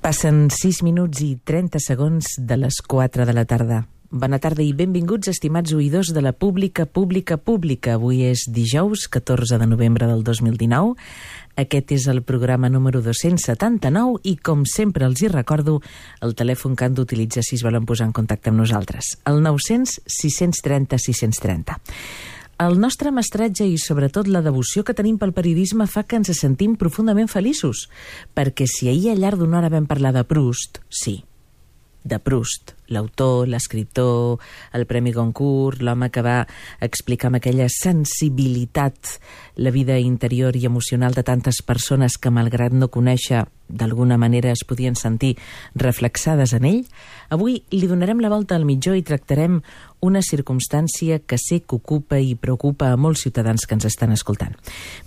Passen 6 minuts i 30 segons de les 4 de la tarda. Bona tarda i benvinguts, estimats oïdors de la Pública. Avui és dijous, 14 de novembre del 2019. Aquest és el programa número 279 i, com sempre els hi recordo, el telèfon que han d'utilitzar si es volen posar en contacte amb nosaltres. El 900 630 630. El nostre mestratge i, sobretot, la devoció que tenim pel periodisme fa que ens sentim profundament feliços, perquè si ahir al llarg d'una hora vam parlar de Proust, sí, de Proust, l'autor, l'escriptor, el Premi Goncourt, l'home que va explicar amb aquella sensibilitat la vida interior i emocional de tantes persones que, malgrat no conèixer, d'alguna manera es podien sentir reflexades en ell, avui li donarem la volta al mitjó i tractarem una circumstància que sé que ocupa i preocupa a molts ciutadans que ens estan escoltant.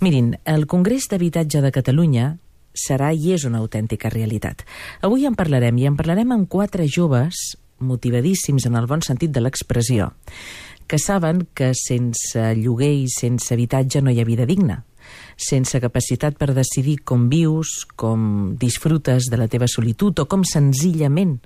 Mirin, el Congrés d'Habitatge de Catalunya serà i és una autèntica realitat. Avui en parlarem, i en parlarem amb 4 joves motivadíssims en el bon sentit de l'expressió, que saben que sense lloguer i sense habitatge no hi ha vida digna, sense capacitat per decidir com vius, com disfrutes de la teva solitud o com senzillament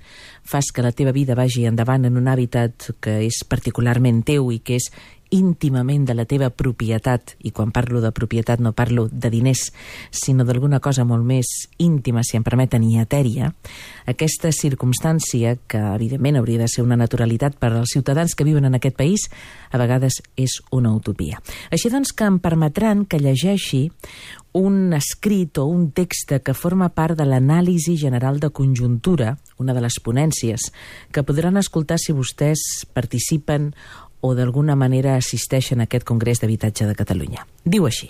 fas que la teva vida vagi endavant en un hàbitat que és particularment teu i que és íntimament de la teva propietat, i quan parlo de propietat no parlo de diners, sinó d'alguna cosa molt més íntima, si em permeten, i etèria. Aquesta circumstància, que evidentment hauria de ser una naturalitat per als ciutadans que viuen en aquest país, a vegades és una utopia. Així doncs que em permetran que llegeixi un escrit o un text que forma part de l'anàlisi general de conjuntura, una de les ponències, que podran escoltar si vostès participen o d'alguna manera assisteixen a aquest Congrés d'Habitatge de Catalunya. Diu així: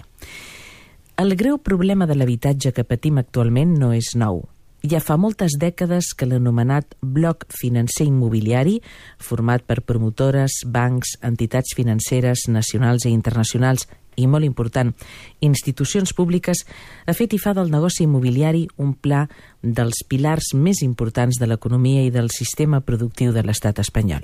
el greu problema de l'habitatge que patim actualment no és nou. Ja fa moltes dècades que l'anomenat bloc financer immobiliari, format per promotores, bancs, entitats financeres nacionals i internacionals i, molt important, institucions públiques, ha fet i fa del negoci immobiliari un pla dels pilars més importants de l'economia i del sistema productiu de l'estat espanyol.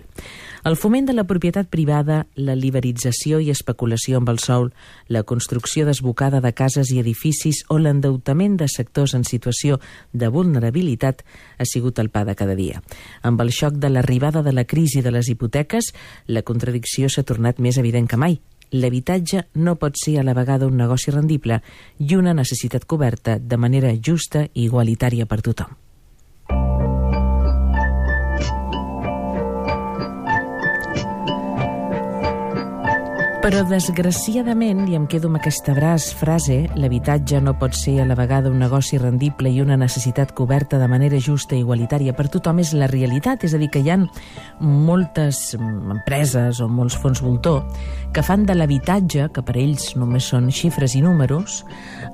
El foment de la propietat privada, la liberalització i especulació amb el sòl, la construcció desbocada de cases i edificis o l'endeutament de sectors en situació de vulnerabilitat ha sigut el pa de cada dia. Amb el xoc de l'arribada de la crisi de les hipoteques, la contradicció s'ha tornat més evident que mai. L'habitatge no pot ser a la vegada un negoci rendible i una necessitat coberta de manera justa i igualitària per tothom. Però, desgraciadament, i em quedo amb aquesta frase, l'habitatge no pot ser a la vegada un negoci rendible i una necessitat coberta de manera justa i igualitària per tothom, és la realitat. És a dir, que hi ha moltes empreses o molts fons voltor que fan de l'habitatge, que per ells només són xifres i números,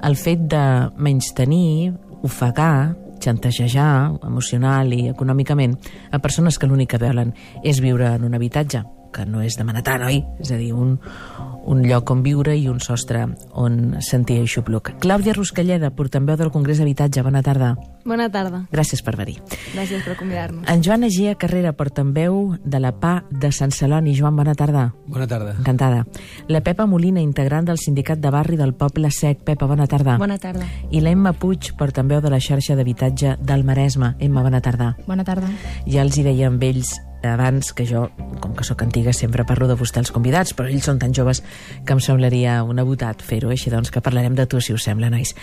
el fet de menystenir, ofegar, xantajejar emocional i econòmicament a persones que l'únic que volen és viure en un habitatge, que no és demanar tant, oi? És a dir, un lloc on viure i un sostre on sentir aixopluc. Clàudia Ruscalleda, portaveu del Congrés d'Habitatge, bona tarda. Bona tarda. Gràcies per venir. Gràcies per convidar-nos. En Joan Egea Carrera, portaveu de la PA de Sant Celoni. Joan, bona tarda. Bona tarda. Encantada. La Pepa Molina, integrant del Sindicat de Barri del Poble Sec. Pepa, bona tarda. Bona tarda. I l'Emma Puig, portaveu de la xarxa d'habitatge del Maresme. Emma, bona tarda. Bona tarda. Ja els hi deia amb ells abans que jo, com que sóc antiga, sempre parlo de vostè els convidats, però ells són tan joves que em semblaria una botat fer-ho, així doncs que parlarem de tu, si us sembla, nois.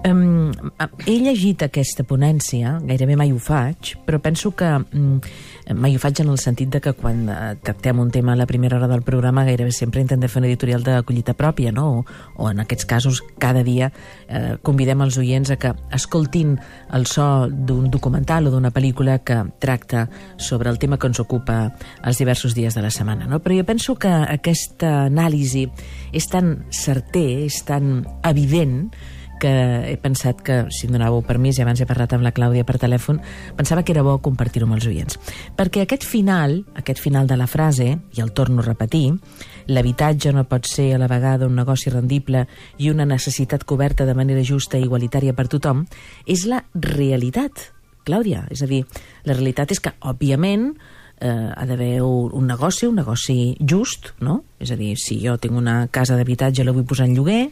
He llegit aquesta ponència, gairebé mai ho faig, però penso que mai ho faig en el sentit de que quan tractem un tema a la primera hora del programa gairebé sempre intentem fer una editorial de collita pròpia, no? O en aquests casos cada dia convidem els oients a que escoltin el so d'un documental o d'una pel·lícula que tracta sobre el tema que ens ocupa els diversos dies de la setmana, no? Però jo penso que aquesta anàlisi és tan certer, és tan evident, que he pensat que, si em donàveu permís, i abans he parlat amb la Clàudia per telèfon, pensava que era bo compartir-ho amb els oients. Perquè aquest final de la frase, i el torno a repetir, l'habitatge no pot ser a la vegada un negoci rendible i una necessitat coberta de manera justa i igualitària per tothom, és la realitat, Clàudia. És a dir, la realitat és que, òbviament, ha d'haver un negoci just, no? És a dir, si jo tinc una casa d'habitatge i la vull posar en lloguer,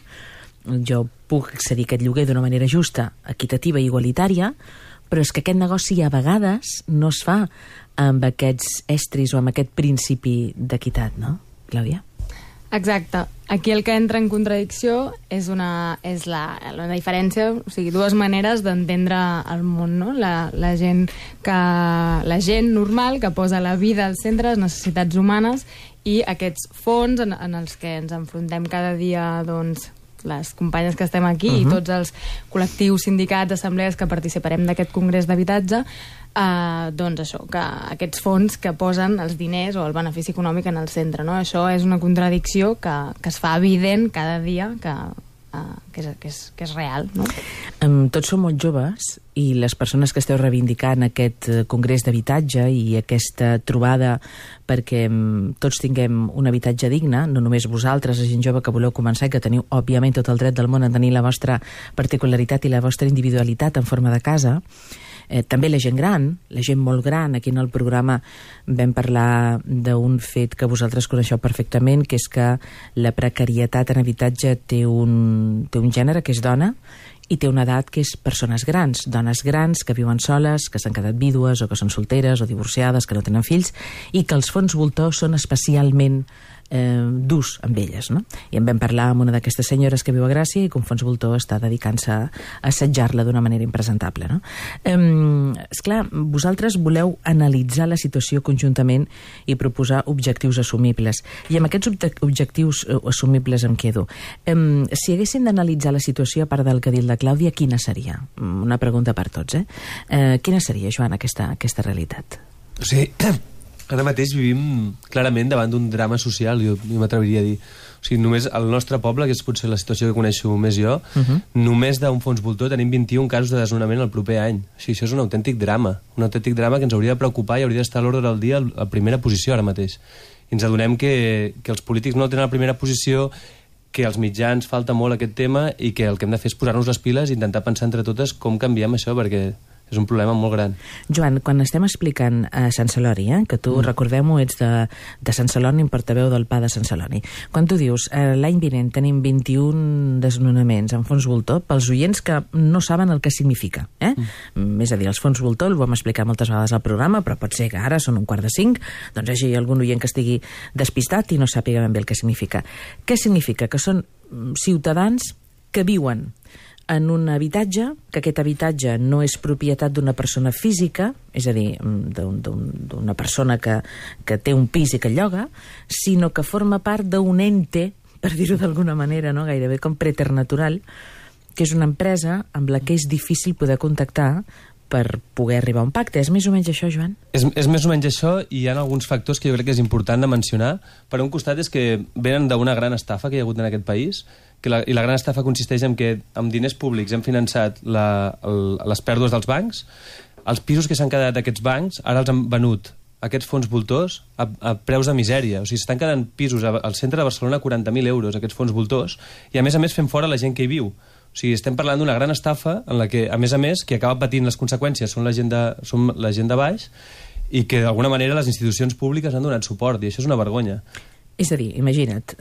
jo puc accedir a aquest lloguer d'una manera justa, equitativa i igualitària, Però és que aquest negoci a vegades no es fa amb aquests estris o amb aquest principi d'equitat, no, Clàudia? Exacte. Aquí el que entra en contradicció és la diferència, o sigui, dues maneres d'entendre el món, no? La gent normal que posa la vida al centre, les necessitats humanes, i aquests fons en els que ens enfrontem cada dia, doncs, les companyes que estem aquí i tots els col·lectius, sindicats, assemblees que participarem d'aquest congrés d'habitatge, doncs això, que aquests fons que posen els diners o el benefici econòmic en el centre, no? Això és una contradicció que es fa evident cada dia, que és real, no? Tots som molt joves i les persones que esteu reivindicant aquest congrés d'habitatge i aquesta trobada perquè tots tinguem un habitatge digne, no només vosaltres, la gent jove que voleu començar i que teniu, òbviament, tot el dret del món a tenir la vostra particularitat i la vostra individualitat en forma de casa, també la gent gran, la gent molt gran. Aquí en el programa vam parlar d'un fet que vosaltres coneixeu perfectament, que és que la precarietat en habitatge té un gènere, que és dona, i té una edat que és persones grans, dones grans que viuen soles, que s'han quedat vídues o que són solteres o divorciades, que no tenen fills, i que els fons voltor són especialment durs amb elles, no? I en vam parlar amb una d'aquestes senyores que viu a Gràcia i que un fons voltor està dedicant-se a assetjar-la d'una manera impresentable, no? Esclar, vosaltres voleu analitzar la situació conjuntament i proposar objectius assumibles, i amb aquests objectius assumibles em quedo. Si haguessin d'analitzar la situació, a part del que ha dit la Clàudia, quina seria? Una pregunta per tots, quina seria, Joan, aquesta realitat? O sigui, ara mateix vivim clarament davant d'un drama social, jo m'atreviria a dir. O sigui, només al nostre poble, que és potser la situació que coneixo més jo, només d'un fons voltor tenim 21 casos de desnonament el proper any. O sigui, això és un autèntic drama que ens hauria de preocupar i hauria d'estar a l'ordre del dia a primera posició ara mateix. I ens adonem que els polítics no el tenen a la primera posició, que als mitjans falta molt aquest tema i que el que hem de fer és posar-nos les piles i intentar pensar entre totes com canviem això, perquè és un problema molt gran. Joan, quan estem explicant a Sant Celoni, que tu, recordem-ho, ets de Sant Celoni, portaveu del PA de Sant Celoni, quan tu dius l'any vinent tenim 21 desnonaments en fons voltor, pels oients que no saben el que significa, és a dir, els fons voltor, ho vam explicar moltes vegades al programa, però pot ser que ara són 4:45, doncs hi hagi algun oient que estigui despistat i no sàpiga ben bé el que significa. Què significa? Que són ciutadans que viuen en un habitatge, que aquest habitatge no és propietat d'una persona física, és a dir, d'una persona que té un pis i que lloga, sinó que forma part d'un ente, per dir-ho d'alguna manera, no? Gairebé com preternatural, que és una empresa amb la que és difícil poder contactar per poder arribar a un pacte. És més o menys això, Joan? És més o menys això, i hi ha alguns factors que jo crec que és important de mencionar. Per un costat és que venen d'una gran estafa que hi ha hagut en aquest país, i la gran estafa consisteix en que amb diners públics hem finançat les pèrdues dels bancs. Els pisos que s'han quedat d'aquests bancs ara els han venut aquests fons voltors a preus de misèria. O sigui, s'estan quedant pisos al centre de Barcelona a 40.000 euros, aquests fons voltors, i a més fem fora la gent que hi viu. O sigui, estem parlant d'una gran estafa en la que, a més, qui acaba patint les conseqüències són la gent de baix, i que d'alguna manera les institucions públiques han donat suport, i això és una vergonya. És a dir, imagina't,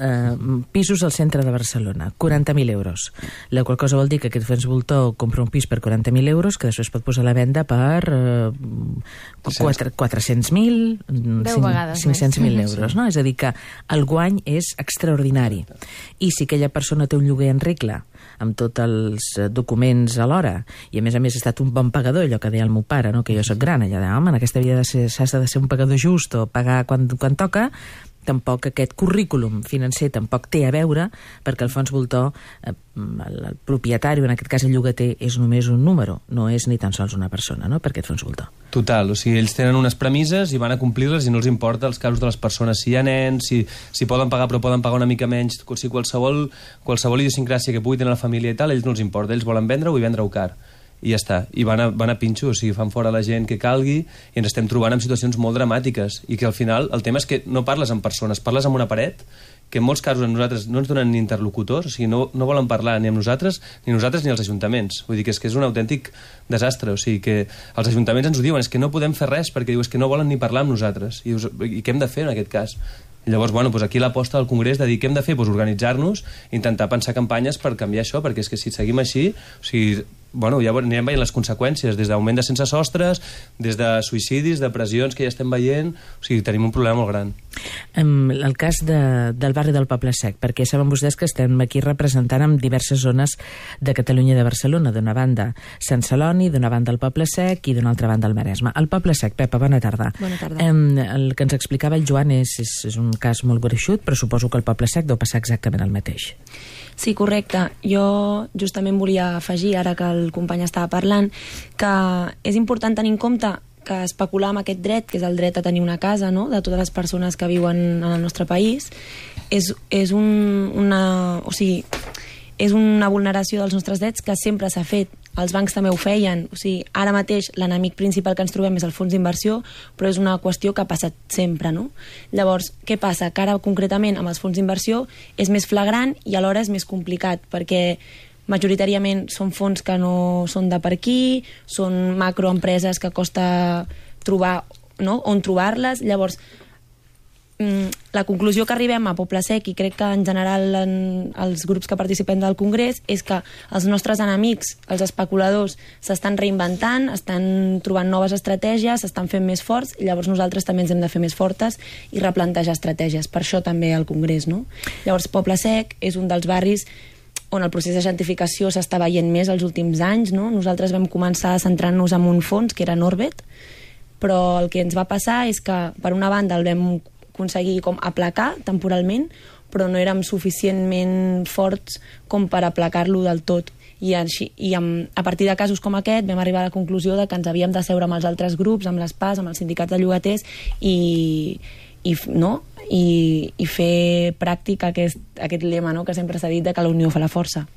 pisos al centre de Barcelona, 40.000 euros, la qual cosa vol dir que aquest fons voltor compra un pis per 40.000 euros que després pot posar a la venda per 400.000, 500.000 euros, no? És a dir, que el guany és extraordinari. I si aquella persona té un lloguer en regla, amb tots els documents alhora, i a més ha estat un bon pagador, allò que deia el meu pare, no? Que jo soc gran, allò de, home, en aquesta vida s'has de ser un pagador just o pagar quan toca, tampoc aquest currículum financer tampoc té a veure, perquè el fons voltor, el propietari, en aquest cas el llogater, és només un número, no és ni tan sols una persona, no?, per aquest fons voltor. Total, o sigui, ells tenen unes premisses i van a complir-les i no els importa els casos de les persones, si hi ha nens, si poden pagar però poden pagar una mica menys, si qualsevol idiosincràsia que pugui tenir la família i tal, ells no els importa, ells volen vendre-ho i vendre-ho car. I ja està, i van a pinxo, o sigui, fan fora la gent que calgui, i ens estem trobant en situacions molt dramàtiques, i que al final el tema és que no parles amb persones, parles amb una paret, que en molts casos a nosaltres no ens donen ni interlocutors, o sigui, no volen parlar ni amb nosaltres ni els ajuntaments. Vull dir que és un autèntic desastre, o sigui, que els ajuntaments ens ho diuen, és que no podem fer res, perquè és que no volen ni parlar amb nosaltres, i què hem de fer en aquest cas? I llavors, aquí l'aposta del Congrés de dir què hem de fer, organitzar-nos, intentar pensar campanyes per canviar això, perquè és que si seguim així, o sigui, bueno, ja anirem veient les conseqüències, des d'augment de sense sostres, des de suïcidis, depressions que ja estem veient, o sigui, tenim un problema molt gran. El cas del barri del Poble Sec, perquè saben vostès que estem aquí representant en diverses zones de Catalunya i de Barcelona, d'una banda Sant Celoni, d'una banda el Poble Sec i d'una altra banda el Maresme. El Poble Sec, Pepa, bona tarda. Bona tarda. El que ens explicava el Joan és un cas molt gruixut, però suposo que el Poble Sec deu passar exactament el mateix. Sí, correcte. Jo justament volia afegir, ara que el company estava parlant, que és important tenir en compte que especular amb aquest dret, que és el dret a tenir una casa, no?, de totes les persones que viuen en el nostre país, és una vulneració dels nostres drets que sempre s'ha fet. Els bancs també ho feien. O sigui, ara mateix l'enemic principal que ens trobem és el fons d'inversió, però és una qüestió que ha passat sempre, no? Llavors, què passa? Que ara concretament amb els fons d'inversió és més flagrant i alhora és més complicat, perquè majoritàriament són fons que no són de per aquí, són macroempreses que costa trobar, no?, on trobar-les. Llavors, la conclusió que arribem a Poble Sec, i crec que en general els grups que participem del Congrés, és que els nostres enemics, els especuladors, s'estan reinventant, estan trobant noves estratègies, s'estan fent més forts, i llavors nosaltres també ens hem de fer més fortes i replantejar estratègies. Per això també al Congrés, no? Llavors, Poble Sec és un dels barris on el procés de gentrificació s'està veient més els últims anys, no? Nosaltres vam començar centrant-nos en un fons, que era Norbet, però el que ens va passar és que, per una banda, el vam aconseguir com aplacar temporalment, però no érem suficientment forts com per aplacar-lo del tot. A partir de casos com aquest vam arribar a la conclusió de que ens havíem de seure amb els altres grups, amb les PAS, amb els sindicats de llogaters i fer pràctic aquest lema, no?, que sempre s'ha dit de que la unió fa la força.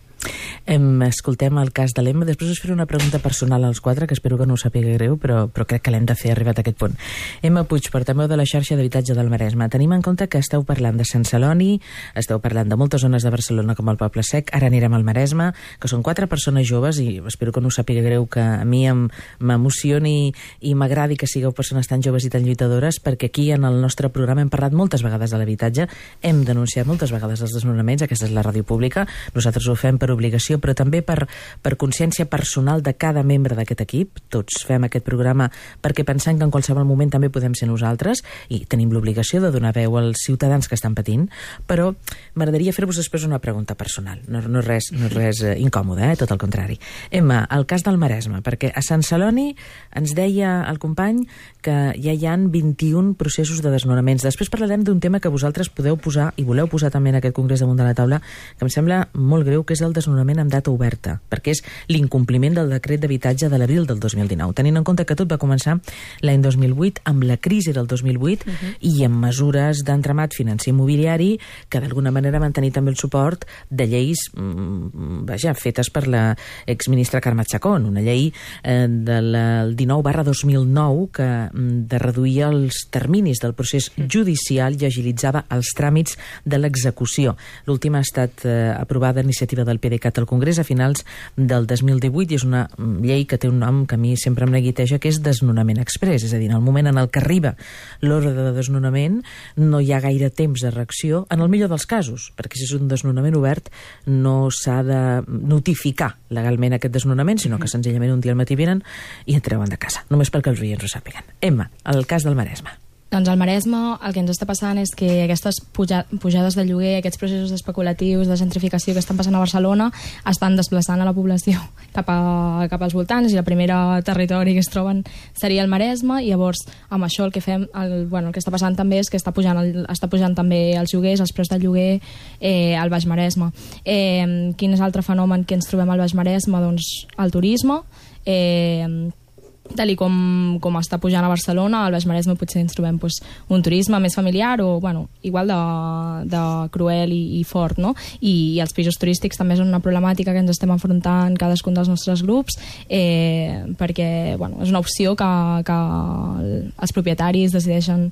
Escoltem el cas de l'Emma. Després us faré una pregunta personal als quatre, que espero que no us sàpiga greu, però crec que l'hem de fer arribat a aquest punt. Emma Puig, portaveu de la xarxa d'habitatge del Maresme. Tenim en compte que esteu parlant de Sant Celoni, esteu parlant de moltes zones de Barcelona com el Poble Sec, ara anirem al Maresme, que són 4 persones joves, i espero que no us sàpiga greu que a mi m'emocioni i m'agradi que sigueu persones tan joves i tan lluitadores, perquè aquí en el nostre programa hem parlat moltes vegades de l'habitatge, hem denunciat moltes vegades els desnonaments, aquesta és la ràdio pública, nosaltres ho fem per obligació, però també per consciència personal de cada membre d'aquest equip. Tots fem aquest programa perquè pensem que en qualsevol moment també podem ser nosaltres i tenim l'obligació de donar veu als ciutadans que estan patint, però m'agradaria fer-vos després una pregunta personal. No és res incòmode, tot el contrari. Emma, el cas del Maresme, perquè a Sant Celoni ens deia el company que ja hi han 21 processos de desnonaments. Després parlarem d'un tema que vosaltres podeu posar i voleu posar també en aquest congrés damunt de la taula, que em sembla molt greu, que és el desnonament amb data oberta, perquè és l'incompliment del decret d'habitatge de l'abril del 2019, tenint en compte que tot va començar l'any 2008 amb la crisi del 2008 i amb mesures d'entramat financer immobiliari que d'alguna manera van tenir també el suport de lleis fetes per la exministra Carme Chacón, una llei del 19/2009 que de reduir els terminis del procés judicial i agilitzava els tràmits de l'execució. L'última ha estat aprovada a iniciativa del PDeCAT al Congrés a finals del 2018 i és una llei que té un nom que a mi sempre em neguiteja, que és desnonament express, és a dir, en el moment en el que arriba l'ordre de desnonament no hi ha gaire temps de reacció, en el millor dels casos, perquè si és un desnonament obert no s'ha de notificar legalment aquest desnonament, sinó que senzillament un dia al matí venen i et treuen de casa, només perquè els oients ho sàpiguen. Emma, el cas del Maresme. Doncs al Maresme el que ens està passant és que aquestes pujades de lloguer, aquests processos especulatius de gentrificació que estan passant a Barcelona estan desplaçant a la població cap als voltants, i el primer territori que es troben seria el Maresme, i llavors amb això el que fem, el que està passant també és que està pujant també els lloguers, els preus del lloguer al Baix Maresme. Quin és l'altre fenomen que ens trobem al Baix Maresme? Doncs el turisme. Tal com està pujant a Barcelona, al Baix Maresme potser ens trobem un turisme més familiar o igual de cruel i fort, no? I els pisos turístics també és una problemàtica que ens estem enfrontant cadascun dels nostres grups, perquè és una opció que els propietaris decideixen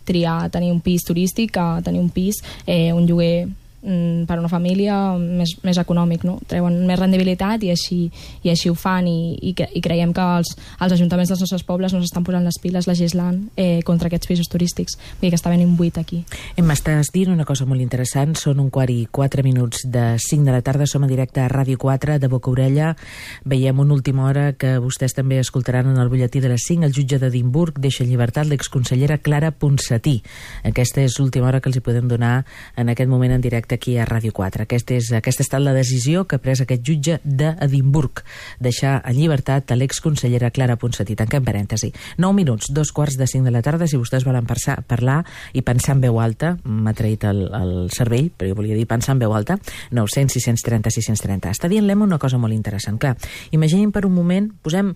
triar tenir un pis turístic que tenir un pis, un lloguer per a una família més econòmic, no? Treuen més rendibilitat i així ho fan, i creiem que els ajuntaments dels nostres pobles no s'estan posant les piles legislant contra aquests pisos turístics. Vull dir que està venint buit aquí. M'estàs dient una cosa molt interessant. Són 1:04 de 5 de la tarda, som en directe a Ràdio 4 de Boca Orella. Veiem una última hora que vostès també escoltaran en el butlletí de les 5. El jutge d'Edimburg deixa en llibertat l'exconsellera Clara Ponsatí. Aquesta és l'última hora que els hi podem donar en aquest moment en directe aquí a Ràdio 4. Aquesta ha estat la decisió que ha pres aquest jutge d'Edimburg, deixar en llibertat a l'exconsellera Clara Ponsatí. Tanquem parèntesi. 9 minuts, 2:45 de la tarda. Si vostès volen parlar i pensar en veu alta, m'ha traït el cervell, però jo volia dir pensar en veu alta, 900 630 630. Està dient l'Emma una cosa molt interessant. Clar, imaginin per un moment, posem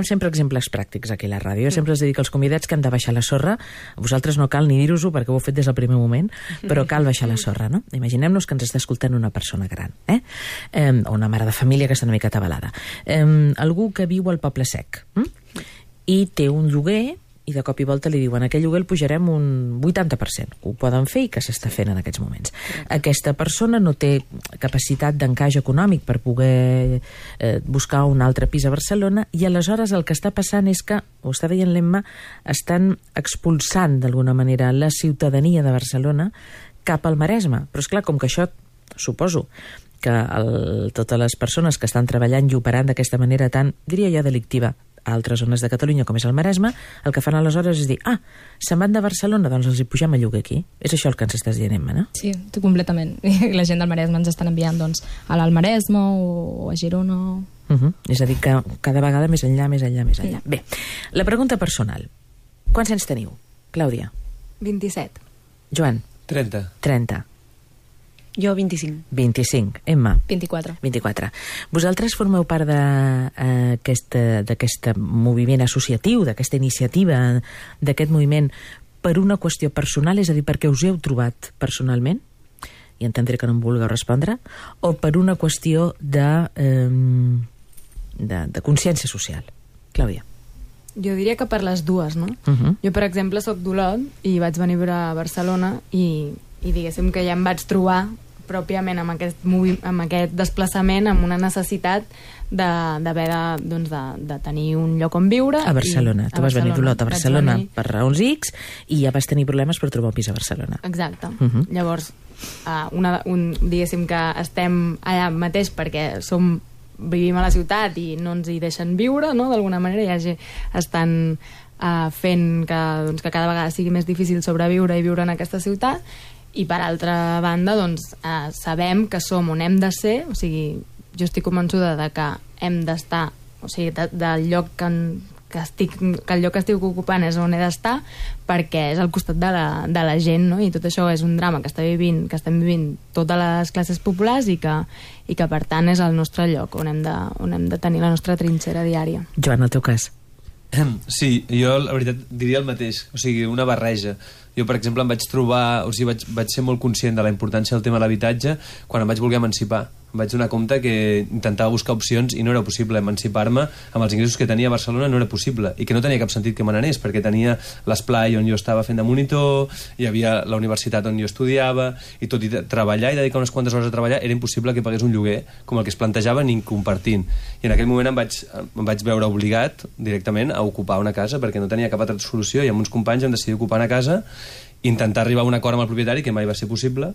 sempre exemples pràctics aquí a la ràdio. Jo sempre els dic als convidats que han de baixar la sorra. A vosaltres no cal ni dir-us-ho perquè ho heu fet des del primer moment, però cal baixar la sorra, no? Imaginem-nos que ens està escoltant una persona gran, o una mare de família que està una mica atabalada. Algú que viu al Poble Sec i té un lloguer, i de cop i volta li diuen aquell lloguer el pujarem un 80%, que ho poden fer i que s'està fent en aquests moments. Aquesta persona no té capacitat d'encaix econòmic per poder buscar un altre pis a Barcelona, i aleshores el que està passant és que, ho està veient l'Emma, estan expulsant d'alguna manera la ciutadania de Barcelona cap al Maresme. Però és clar, com que això, suposo que totes les persones que estan treballant i operant d'aquesta manera tan, diria jo, delictiva a altres zones de Catalunya, com és el Maresme, el que fan aleshores és dir, se'n van de Barcelona, doncs els hi pugem a lloguer aquí. És això el que ens estàs dient, Emma, no? Sí, completament. La gent del Maresme ens estan enviant doncs, a l'Alt Maresme o a Girona. És a dir, que cada vegada més enllà. Bé, la pregunta personal. Quants anys teniu, Clàudia? 27. Joan? 30. Jo 25. 25. Emma? 24. Vosaltres formeu part d'aquest moviment associatiu, d'aquesta iniciativa, d'aquest moviment per una qüestió personal, és a dir, perquè us heu trobat personalment, i entendré que no em vulgueu respondre, o per una qüestió de consciència social? Clàudia? Jo diria que per les dues, no? Jo, per exemple, soc d'Olot i vaig venir a Barcelona i diguéssim que ja em vaig trobar pròpiament amb aquest desplaçament, amb una necessitat d'haver de tenir un lloc on viure. A Barcelona. Tu vas venir d'Olot a Barcelona per raons X i ja vas tenir problemes per trobar un pis a Barcelona. Exacte. Llavors, diguéssim que estem allà mateix perquè vivim a la ciutat i no ens hi deixen viure, no? D'alguna manera ja estan fent que cada vegada sigui més difícil sobreviure i viure en aquesta ciutat. I per altra banda, sabem que som on hem de ser, o sigui, jo estic convençuda de que hem d'estar, o sigui, del lloc que el lloc que estic ocupant és on he d'estar, perquè és al costat de la gent, no? I tot això és un drama que estem vivint totes les classes populars i que per tant és el nostre lloc on hem de tenir la nostra trinxera diària. Joan, el teu cas? Sí, jo la veritat diria el mateix, o sigui, una barreja. Jo, per exemple, em vaig trobar, o sigui, vaig ser molt conscient de la importància del tema de l'habitatge quan em vaig voler emancipar. Em vaig donar compte que intentava buscar opcions i no era possible emancipar-me amb els ingressos que tenia a Barcelona, no era possible, i que no tenia cap sentit que me n'anés, perquè tenia l'esplai on jo estava fent de monitor, hi havia la universitat on jo estudiava, i tot i treballar i dedicar unes quantes hores a treballar era impossible que pagués un lloguer com el que es plantejava ni compartint. I en aquell moment em vaig veure obligat directament a ocupar una casa perquè no tenia cap altra solució, i amb uns companys hem decidit ocupar una casa, intentar arribar a un acord amb el propietari, que mai va ser possible,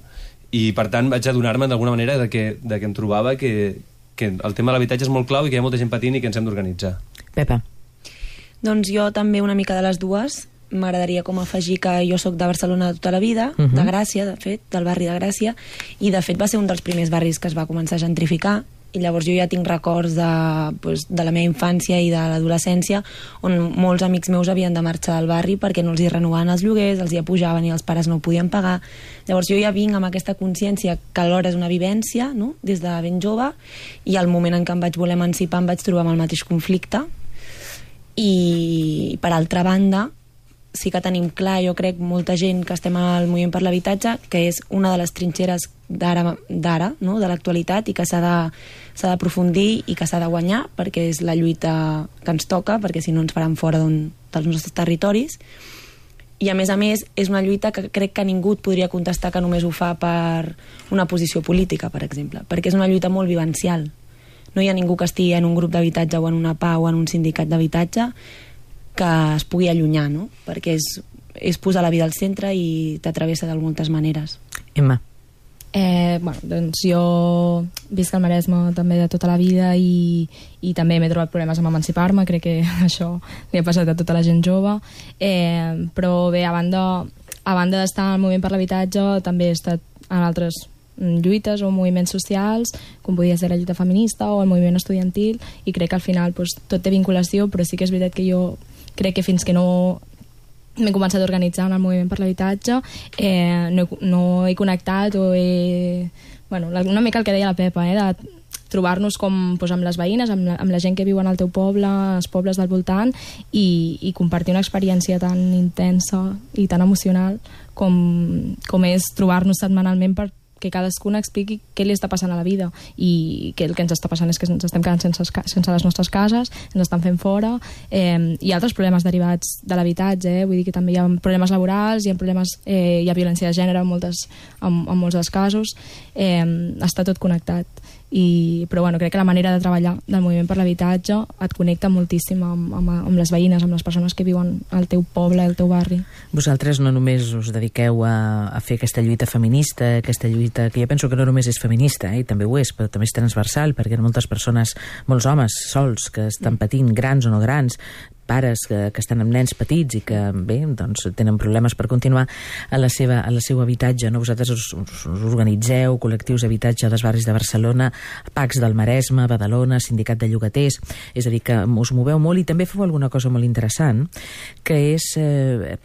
i per tant vaig adonar-me d'alguna manera que em trobava que el tema de l'habitatge és molt clau i que hi ha molta gent patint i que ens hem d'organitzar. Pepa? Doncs jo també una mica de les dues. M'agradaria com afegir que jo sóc de Barcelona tota la vida, de Gràcia, de fet, del barri de Gràcia, i de fet va ser un dels primers barris que es va començar a gentrificar, i llavors jo ja tinc records de la meva infància i de l'adolescència on molts amics meus havien de marxar del barri perquè no els hi renovaven els lloguers, els hi pujaven i els pares no ho podien pagar. Llavors jo ja vinc amb aquesta consciència que alhora és una vivència, no? Des de ben jove, i al moment en què em vaig voler emancipar em vaig trobar amb el mateix conflicte. I per altra banda sí que tenim clar, jo crec, molta gent que estem al moviment per l'habitatge, que és una de les trinxeres d'ara, no? De l'actualitat, i que s'ha d'aprofundir i que s'ha de guanyar, perquè és la lluita que ens toca, perquè si no ens faran fora dels nostres territoris. I a més, és una lluita que crec que ningú et podria contestar que només ho fa per una posició política, per exemple, perquè és una lluita molt vivencial. No hi ha ningú que estigui en un grup d'habitatge o en una PA o en un sindicat d'habitatge que es pugui allunyar, no? Perquè és posar la vida al centre i t'atravessa de moltes maneres. Emma. Doncs jo visc al Maresme també de tota la vida i també m'he trobat problemes amb emancipar-me, crec que això li ha passat a tota la gent jove, però bé, a banda d'estar al moviment per l'habitatge també he estat en altres lluites o moviments socials, com podia ser la lluita feminista o el moviment estudiantil, i crec que al final tot té vinculació, però sí que és veritat que jo crec que fins que no m'he començat a organitzar en el moviment per l'habitatge, no he connectat o una mica el que deia la Pepa, de trobar-nos amb les veïnes, amb la gent que viu en el teu poble, els pobles del voltant, i compartir una experiència tan intensa i tan emocional com és trobar-nos setmanalment perquè cadascuna expliqui què li està passant a la vida, i que el que ens està passant és que ens estem quedant sense les nostres cases, ens estan fent fora, i altres problemes derivats de l'habitatge, vull dir que també hi ha problemes laborals, hi ha violència de gènere en molts dels casos, està tot connectat. Però crec que la manera de treballar del moviment per l'habitatge et connecta moltíssim amb les veïnes, amb les persones que viuen al teu poble, al teu barri. Vosaltres no només us dediqueu a fer aquesta lluita feminista, aquesta lluita que jo penso que no només és feminista, i també ho és, però també és transversal, perquè hi ha moltes persones, molts homes sols que estan patint, grans o no grans, pares que estan amb nens petits i que, bé, doncs tenen problemes per continuar a la seva habitatge, no? Vosaltres us organitzeu, col·lectius d'habitatge dels barris de Barcelona, PACs del Maresme, Badalona, Sindicat de Llogaters, és a dir, que us moveu molt i també feu alguna cosa molt interessant, que és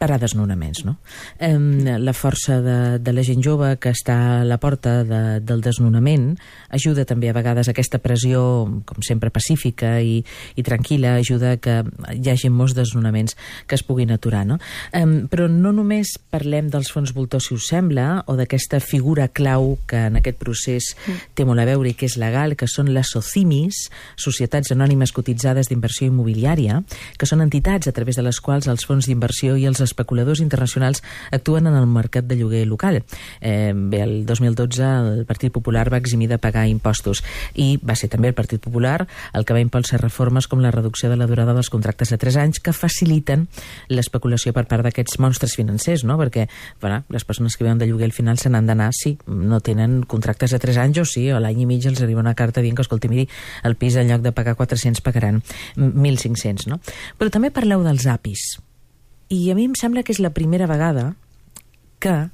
parar desnonaments, no? La força de la gent jove que està a la porta del desnonament ajuda també a vegades aquesta pressió, com sempre pacífica i tranquil·la, ajuda que hi hagi molts desnonaments que es puguin aturar, no? Però no només parlem dels fons voltors, si us sembla, o d'aquesta figura clau que en aquest procés té molt a veure i que és legal, que són les SOCIMIs, Societats Anònimes Cotitzades d'Inversió Immobiliària, que són entitats a través de les quals els fons d'inversió i els especuladors internacionals actuen en el mercat de lloguer local. Bé, el 2012 el Partit Popular va eximir de pagar impostos i va ser també el Partit Popular el que va impulsar reformes com la reducció de la durada dels contractes de 3 anys que faciliten l'especulació per part d'aquests monstres financers, no? Perquè les persones que viuen de lloguer al final se n'han d'anar si no tenen contractes de 3 anys o sí, o l'any i mig els arriba una carta dient que, escolti, miri, el pis en lloc de pagar 400 pagaran 1.500, no? Però també parleu dels APIs i a mi em sembla que és la primera vegada que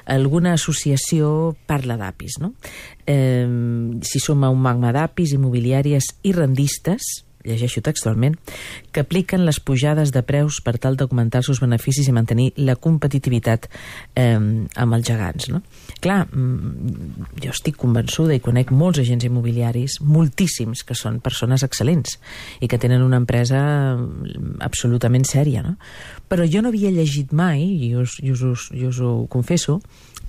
alguna associació parla d'APIs, no? Si som a un magma d'APIs immobiliàries i rendistes, llegeixo textualment, que apliquen les pujades de preus per tal d'augmentar els seus beneficis i mantenir la competitivitat amb els gegants, no? Clar, jo estic convençuda i conec molts agents immobiliaris, moltíssims, que són persones excel·lents i que tenen una empresa absolutament sèria, no? Però jo no havia llegit mai, i us ho confesso,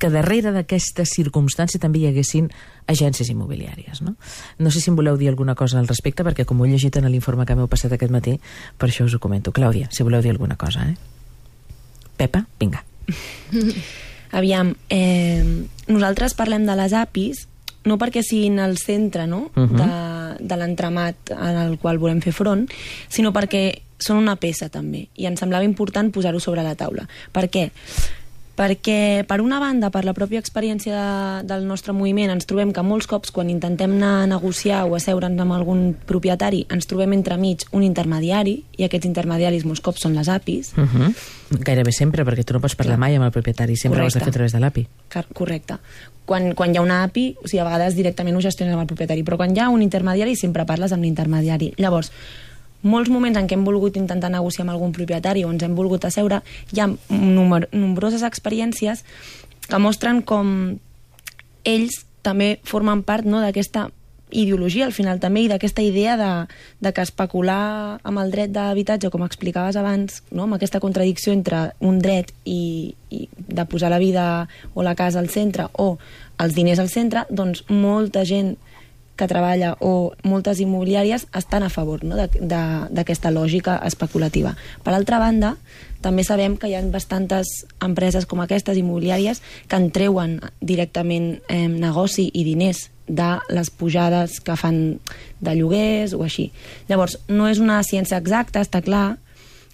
que darrere d'aquesta circumstància també hi haguessin agències immobiliàries, no? No sé si em voleu dir alguna cosa al respecte, perquè com ho he llegit en l'informe que m'heu passat aquest matí, per això us ho comento. Clàudia, si voleu dir alguna cosa, Pepa, vinga. Aviam, nosaltres parlem de les APIs no perquè siguin el centre, no? De l'entramat en el qual volem fer front, sinó perquè són una peça també, i ens semblava important posar-ho sobre la taula. Per què? Perquè, per una banda, per la pròpia experiència del nostre moviment, ens trobem que molts cops, quan intentem anar a negociar o asseure'ns amb algun propietari, ens trobem entremig un intermediari, i aquests intermediaris molts cops són les APIs. Gairebé sempre, perquè tu no pots parlar mai amb el propietari, sempre ho has de fer a través de l'API. Correcte. Quan hi ha una API, o sigui, a vegades directament ho gestiones amb el propietari, però quan hi ha un intermediari sempre parles amb l'intermediari. Llavors, molts moments en què hem volgut intentar negociar amb algun propietari o ens hem volgut asseure, hi ha nombroses experiències que mostren com ells també formen part, no, d'aquesta ideologia al final també, i d'aquesta idea de que especular amb el dret d'habitatge, com explicaves abans, no, amb aquesta contradicció entre un dret i de posar la vida o la casa al centre o els diners al centre, doncs molta gent que treballa o moltes immobiliàries estan a favor, no?, d'aquesta lògica especulativa. Per altra banda, també sabem que hi ha bastantes empreses com aquestes, immobiliàries, que en treuen directament negoci i diners de les pujades que fan de lloguers o així. Llavors, no és una ciència exacta, està clar,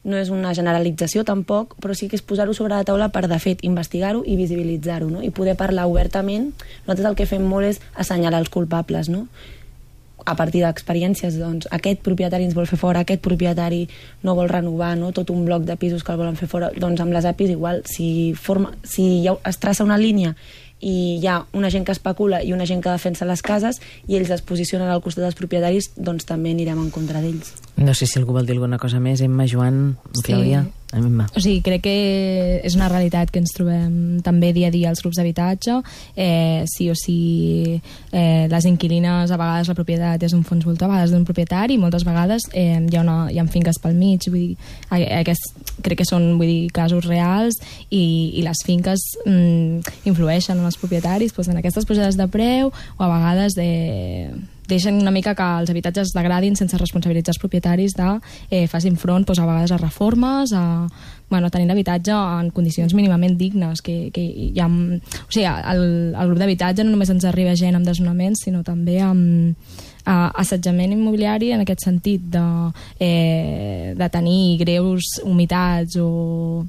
no és una generalització tampoc, però sí que és posar-ho sobre la taula per, de fet, investigar-ho i visibilitzar-ho, no?, i poder parlar obertament. Nosaltres el que fem molt és assenyalar els culpables, no?, a partir d'experiències, doncs, aquest propietari ens vol fer fora, aquest propietari no vol renovar, no?, tot un bloc de pisos que el volen fer fora. Doncs amb les APIs igual, si es traça una línia i hi ha una gent que especula i una gent que defensa les cases i ells es posicionen al costat dels propietaris, doncs també anirem en contra d'ells. No sé si algú vol dir alguna cosa més. Emma, Joan, Clàudia? Emma. O sigui, crec que és una realitat que ens trobem també dia a dia als grups d'habitatge. Sí o sí, les inquilines, a vegades la propietat és un fons voltor, a vegades d'un propietari, i moltes vegades hi ha finques pel mig. Vull dir, crec que són casos reals, i les finques influeixen en els propietaris doncs, en aquestes pujades de preu, o a vegades deixen una mica que els habitatges degradin sense responsabilitzar els propietaris facin front doncs, a vegades a reformes, a tenir l'habitatge en condicions mínimament dignes. Que hi ha, o sigui, al grup d'habitatge no només ens arriba gent amb desnonaments, sinó també amb assetjament immobiliari, en aquest sentit de tenir greus humitats o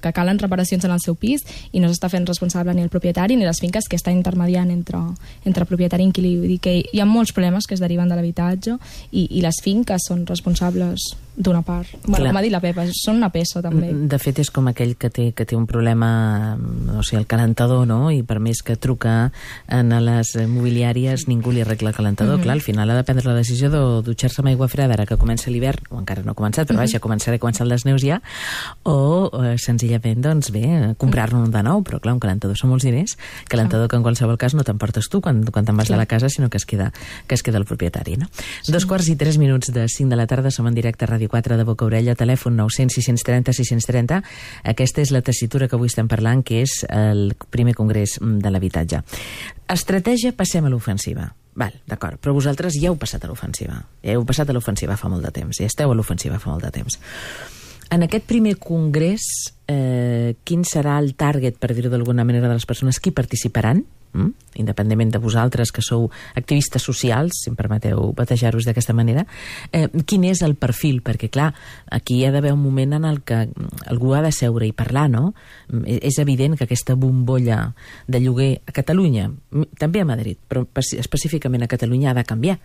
que calen reparacions en el seu pis i no s'està fent responsable ni el propietari ni les finques que estan intermediant entre propietari i inquilí. Vull dir que hi ha molts problemes que es deriven de l'habitatge i les finques són responsables d'una part. Bueno, com ha dit la Pepa, són una peça també. De fet, és com aquell que té un problema, o sigui, el calentador, no? I per més que truca a les mobiliàries, ningú li arregla el calentador. Clar, al final ha de prendre la decisió de dutxar-se amb aigua freda ara que comença l'hivern, o encara no ha començat, però vaja, començar les neus ja, o senzillament, doncs bé, comprar-ne un de nou, però clar, un calentador són molts diners, calentador que en qualsevol cas no t'emportes tu quan te'n vas de la casa, sinó que es queda el propietari, no? 2:03 de 5 de la tarda, som en directe a Ràdio 4 de Boca Orella, telèfon 900 630 630. Aquesta és la tessitura que avui estem parlant, que és el primer congrés de l'habitatge. Estratègia, passem a l'ofensiva. Val, d'acord, però vosaltres ja heu passat a l'ofensiva. Ja heu passat a l'ofensiva fa molt de temps, ja esteu a l'ofensiva fa molt de temps. En aquest primer congrés, quin serà el target, per dir-ho d'alguna manera, de les persones que hi participaran? Independentment de vosaltres, que sou activistes socials, si em permeteu batejar-vos d'aquesta manera, quin és el perfil? Perquè, clar, aquí hi ha d'haver un moment en el que algú ha de seure i parlar, no? És evident que aquesta bombolla de lloguer a Catalunya, també a Madrid, però específicament a Catalunya, ha de canviar,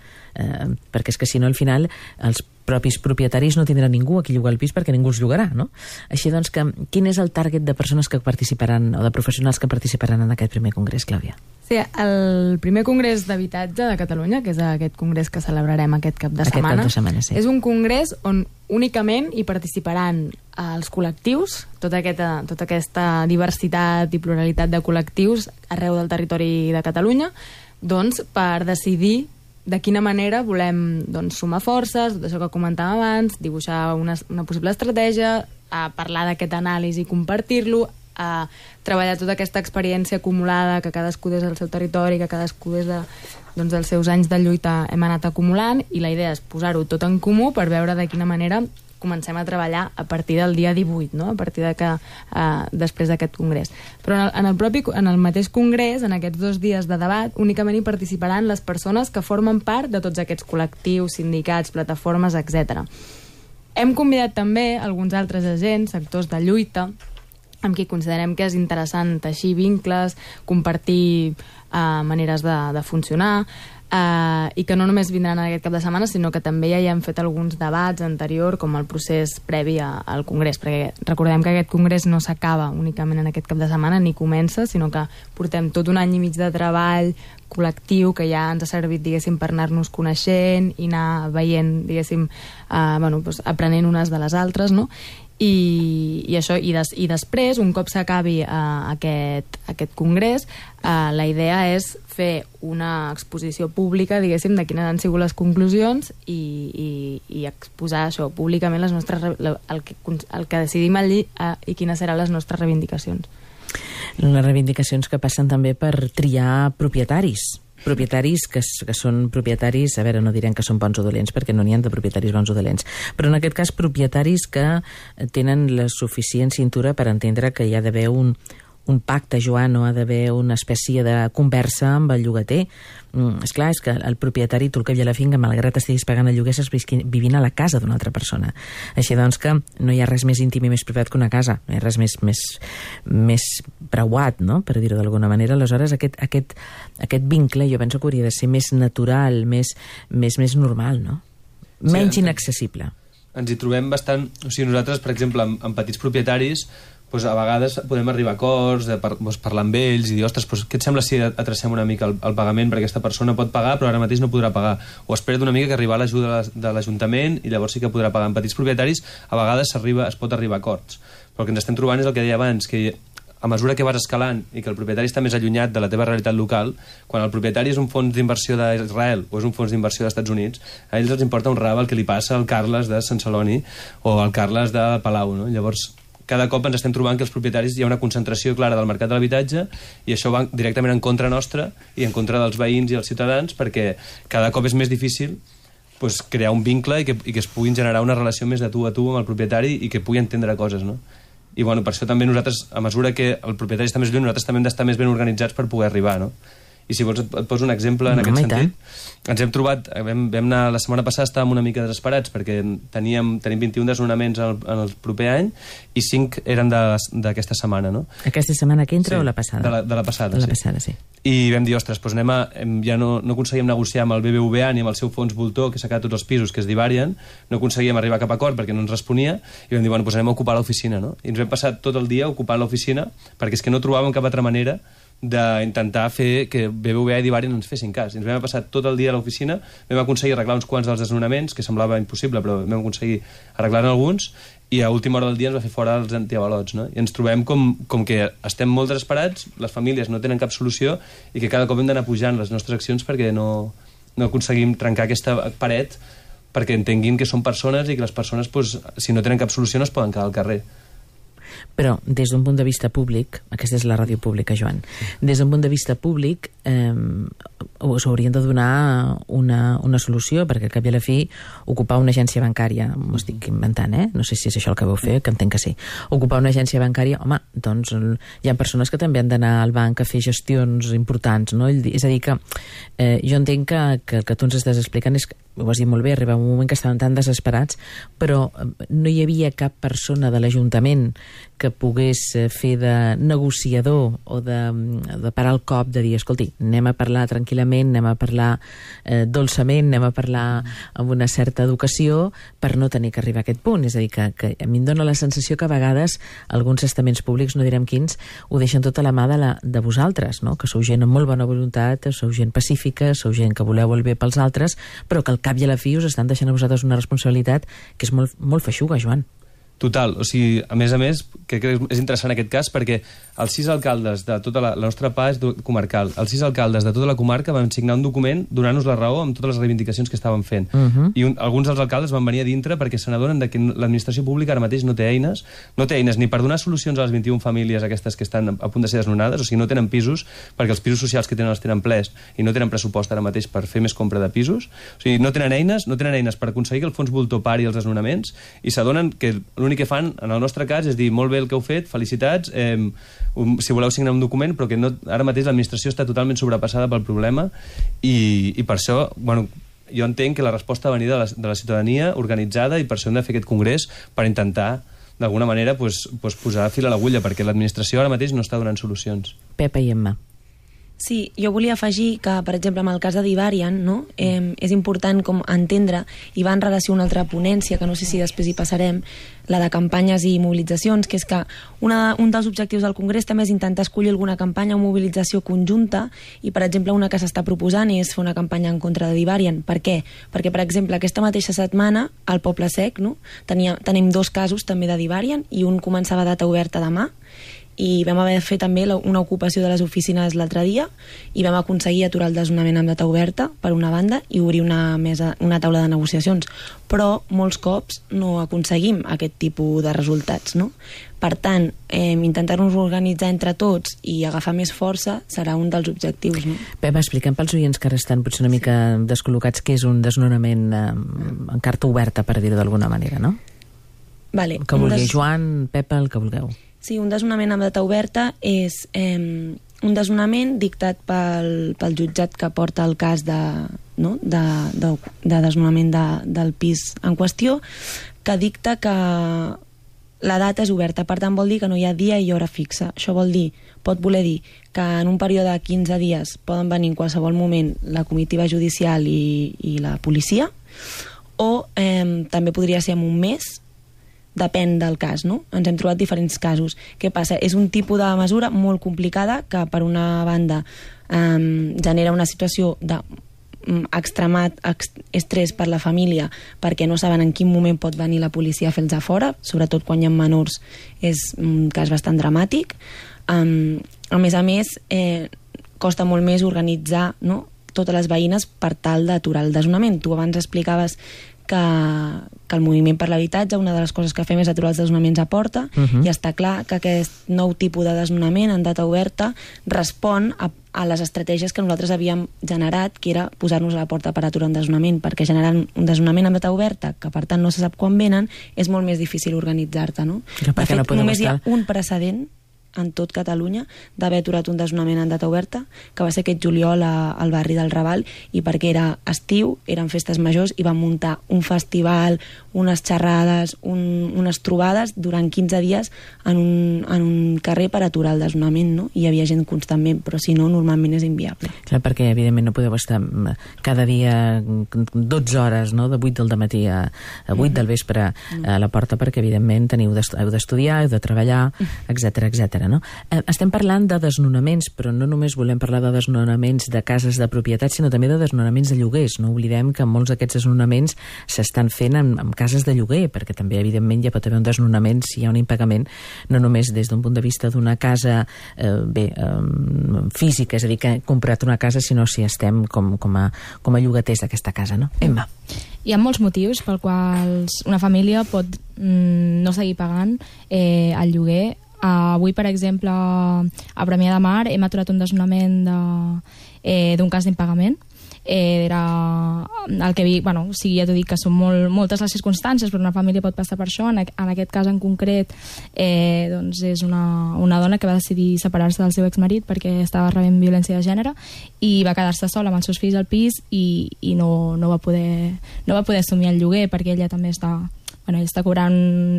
perquè és que si no, al final, els propis propietaris no tindran ningú a qui llogar el pis perquè ningú els llogarà, no? Així doncs, quin és el target de persones que participaran o de professionals que participaran en aquest primer congrés, Clàudia? Sí, el primer congrés d'habitatge de Catalunya, que és aquest congrés que celebrarem aquest cap de setmana, sí. És un congrés on únicament hi participaran els col·lectius, tota aquesta diversitat i pluralitat de col·lectius arreu del territori de Catalunya, doncs per decidir de quina manera volem sumar forces, tot això que comentàvem abans, dibuixar una possible estratègia, a parlar d'aquest anàlisi i compartir-lo, a treballar tota aquesta experiència acumulada que cadascú des del seu territori, que cadascú des dels seus anys de lluita hem anat acumulant, i la idea és posar-ho tot en comú per veure de quina manera comencem a treballar a partir del dia 18, no? A partir després d'aquest congrés. Però en el mateix congrés, en aquests 2 dies de debat, únicament hi participaran les persones que formen part de tots aquests col·lectius, sindicats, plataformes, etc. Hem convidat també alguns altres agents, sectors de lluita, amb qui considerem que és interessant teixir vincles, compartir maneres de funcionar, i que no només vindran en aquest cap de setmana, sinó que també ja hi hem fet alguns debats anterior, com el procés previ al congrés, perquè recordem que aquest congrés no s'acaba únicament en aquest cap de setmana, ni comença, sinó que portem tot un any i mig de treball col·lectiu que ja ens ha servit, diguéssim, per anar-nos coneixent i anar veient, diguéssim, aprenent unes de les altres, no? I això, i després, un cop s'acabi aquest congrés, la idea és fer una exposició pública, diguéssim, de quines han sigut les conclusions i exposar això públicament el que decidim allí i quines seran les nostres reivindicacions. Les reivindicacions que passen també per triar propietaris. propietaris que són propietaris, a veure, no direm que són bons o dolents, perquè no n'hi ha de propietaris bons o dolents, però en aquest cas propietaris que tenen la suficient cintura per entendre que hi ha d'haver un pacte, Joan, no ha d'haver una espècie de conversa amb el llogater. Esclar, és que el propietari, tu el cap i a la finca, malgrat estiguis pagant el lloguer, estàs vivint a la casa d'una altra persona. Així doncs que no hi ha res més íntim i més privat que una casa, no hi ha res més preuat, no?, per dir-ho d'alguna manera. Aleshores, aquest vincle jo penso que hauria de ser més natural, més normal, no? Menys inaccessible. Ens hi trobem bastant... O sigui, nosaltres, per exemple, amb petits propietaris, a vegades podem arribar a acords, parlar amb ells i dir, ostres, què et sembla si atracem una mica el pagament, perquè aquesta persona pot pagar però ara mateix no podrà pagar, o espera't una mica que arribar l'ajuda de l'Ajuntament i llavors sí que podrà pagar. En petits propietaris a vegades es pot arribar a acords, però el que ens estem trobant és el que deia abans, que a mesura que vas escalant i que el propietari està més allunyat de la teva realitat local, quan el propietari és un fons d'inversió d'Israel o és un fons d'inversió dels Estats Units, a ells els importa un rave el que li passa al Carles de Sant Celoni o al Carles de Palau, no? Llavors cada cop ens estem trobant que els propietaris hi ha una concentració clara del mercat de l'habitatge i això va directament en contra nostra i en contra dels veïns i els ciutadans, perquè cada cop és més difícil crear un vincle i que es puguin generar una relació més de tu a tu amb el propietari i que pugui entendre coses, no? I per això també nosaltres, a mesura que el propietari està més lluny, nosaltres també hem d'estar més ben organitzats per poder arribar, no? I si vols et poso un exemple en aquest sentit. Ens hem trobat, vam anar la setmana passada, estàvem una mica desesperats perquè tenim 21 desnonaments en el proper any i 5 eren d'aquesta setmana, no? Aquesta setmana que entra o la passada? De la passada, de la passada, sí. I vam dir, ostres, ja no aconseguim negociar amb el BBVA ni amb el seu fons voltor, que s'ha quedat tots els pisos, que es Divarian, no aconseguíem arribar a cap acord perquè no ens responia, i vam dir, anem a ocupar l'oficina, no? I ens vam passar tot el dia ocupant l'oficina perquè és que no trobàvem cap altra manera d'intentar fer que BBVA i Divarian ens fessin cas. Ens vam passar tot el dia a l'oficina, vam aconseguir arreglar uns quants dels desnonaments, que semblava impossible, però vam aconseguir arreglar-ne alguns, i a última hora del dia ens va fer fora els antiavalots, no? I ens trobem com que estem molt desesperats, les famílies no tenen cap solució i que cada cop hem d'anar pujant les nostres accions perquè no aconseguim trencar aquesta paret perquè entenguin que són persones i que les persones, si no tenen cap solució, no es poden quedar al carrer. Però, des d'un punt de vista públic, aquesta és la ràdio pública, Joan, des d'un punt de vista públic us haurien de donar una solució, perquè al cap i a la fi ocupar una agència bancària, m'ho estic inventant, no sé si és això el que vau fer, que entenc que sí, ocupar una agència bancària, home, doncs hi ha persones que també han d'anar al banc a fer gestions importants, no? És a dir, que jo entenc que el que tu ens estàs explicant és que, ho has dit molt bé, arriba un moment que estaven tan desesperats, però no hi havia cap persona de l'Ajuntament que pogués fer de negociador o de parar el cop, de dir, escolti, anem a parlar tranquil·lament, anem a parlar dolçament, anem a parlar amb una certa educació per no tenir que arribar a aquest punt. És a dir, que a mi em dóna la sensació que a vegades alguns estaments públics, no direm quins, ho deixen tota la mà de vosaltres, no? Que sou gent amb molt bona voluntat, sou gent pacífica, sou gent que voleu el bé pels altres, però que al cap i a la fi us estan deixant a vosaltres una responsabilitat que és molt, molt feixuga, Joan. Total, o sigui, a més, crec que és interessant aquest cas perquè els 6 alcaldes de tota la nostra PA és comarcal, els 6 alcaldes de tota la comarca van signar un document donant-nos la raó amb totes les reivindicacions que estaven fent. I alguns dels alcaldes van venir a dintre perquè se n'adonen que l'administració pública ara mateix no té eines ni per donar solucions a les 21 famílies aquestes que estan a punt de ser desnonades, o sigui, no tenen pisos perquè els pisos socials que tenen els tenen plens i no tenen pressupost ara mateix per fer més compra de pisos, o sigui, no tenen eines per aconseguir que el fons voltor pari els desnonaments i s'adonen que l'únic que fan, en el nostre cas, és dir, molt bé el que heu fet, felicitats, si voleu signar un document, però que ara mateix l'administració està totalment sobrepassada pel problema i per això, jo entenc que la resposta ha de venir de la ciutadania organitzada i per això hem de fer aquest congrés per intentar, d'alguna manera, posar fil a l'agulla, perquè l'administració ara mateix no està donant solucions. Pepa i Emma. Sí, jo volia afegir que, per exemple, en el cas de Divarian, no? És important com entendre, i va en relació a una altra ponència, que no sé si després hi passarem, la de campanyes i mobilitzacions, que és que un dels objectius del Congrés també és intentar escollir alguna campanya o mobilització conjunta, i, per exemple, una que s'està proposant és fer una campanya en contra de Divarian. Per què? Perquè, per exemple, aquesta mateixa setmana, al Poble Sec, no? Tenim 2 casos també de Divarian, i un començava data oberta demà, i vam haver de fer també una ocupació de les oficines l'altre dia i vam aconseguir aturar el desnonament amb data oberta per una banda i obrir una taula de negociacions, però molts cops no aconseguim aquest tipus de resultats, no? Per tant, intentar-nos organitzar entre tots i agafar més força serà un dels objectius, no? Pep, expliquem pels oients que ara estan potser una mica descol·locats què és un desnonament en carta oberta, per dir-ho d'alguna manera, no? Vale. El que vulgui, Joan, Pep, el que vulgueu. Sí, un desnonament amb data oberta és un desnonament dictat pel jutjat que porta el cas de desnonament del pis en qüestió, que dicta que la data és oberta. Per tant, vol dir que no hi ha dia i hora fixa. Això pot voler dir que en un període de 15 dies poden venir en qualsevol moment la comitiva judicial i la policia, o també podria ser en un mes, depèn del cas, no? Ens hem trobat diferents casos. Què passa? És un tipus de mesura molt complicada que, per una banda, genera una situació d'extremat estrès per la família perquè no saben en quin moment pot venir la policia a fer-los a fora, sobretot quan hi ha menors és un cas bastant dramàtic. A més, costa molt més organitzar, no?, totes les veïnes per tal d'aturar el desnonament. Tu abans explicaves que el moviment per l'habitatge, una de les coses que fem és aturar els desnonaments a porta, i està clar que aquest nou tipus de desnonament en data oberta respon a les estratègies que nosaltres havíem generat, que era posar-nos a la porta per aturar un desnonament, perquè generant un desnonament en data oberta, que per tant no se sap quan venen, és molt més difícil organitzar-te, no? De fet, només hi ha un precedent en tot Catalunya d'haver aturat un desnonament en data oberta, que va ser aquest juliol al barri del Raval, i perquè era estiu, eren festes majors, i van muntar un festival, unes xerrades, unes trobades durant 15 dies en un carrer per aturar el desnonament, no? I hi havia gent constantment, però si no, normalment és inviable. Clar, perquè evidentment no podeu estar cada dia 12 hores, no?, de 8 del matí a 8 del vespre a la porta, perquè evidentment heu d'estudiar, heu de treballar, etc. No? Estem parlant de desnonaments, però no només volem parlar de desnonaments de cases de propietat, sinó també de desnonaments de lloguers. No oblidem que molts d'aquests desnonaments s'estan fent en cases de lloguer, perquè també, evidentment, ja pot haver un desnonament si hi ha un impagament, no només des d'un punt de vista d'una casa física, és a dir, que hem comprat una casa, sinó si estem com a llogaters d'aquesta casa, no? Emma. Hi ha molts motius pel quals una família pot no seguir pagant el lloguer. Avui, per exemple, a Premià de Mar hem aturat un desnonament d'un cas d'impagament. Era el que ja t'ho dic, que són moltes les circumstàncies, però una família pot passar per això. En aquest cas en concret doncs és una dona que va decidir separar-se del seu exmarit perquè estava rebent violència de gènere i va quedar-se sola amb els seus fills al pis i no va poder assumir el lloguer, perquè ella també està cobrant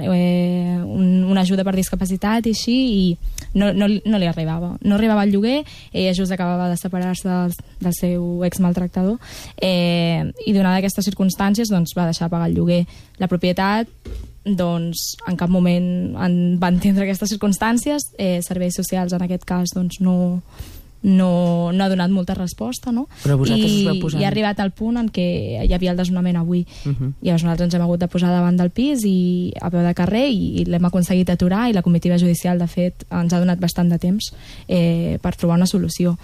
una ajuda per discapacitat i així, i no li arribava. No arribava al lloguer, ella just acabava de separar-se del seu exmaltractador, i donada aquestes circumstàncies doncs, va deixar de pagar el lloguer. La propietat doncs, en cap moment va entendre aquestes circumstàncies. Serveis socials, en aquest cas, doncs, no ha donat molta resposta, no? Però vosaltres us vau posar... I ha arribat al punt en què hi havia el desnonament avui. I llavors nosaltres ens hem hagut de posar davant del pis i a peu de carrer i l'hem aconseguit aturar, i la comitiva judicial, de fet, ens ha donat bastant de temps per trobar una solució.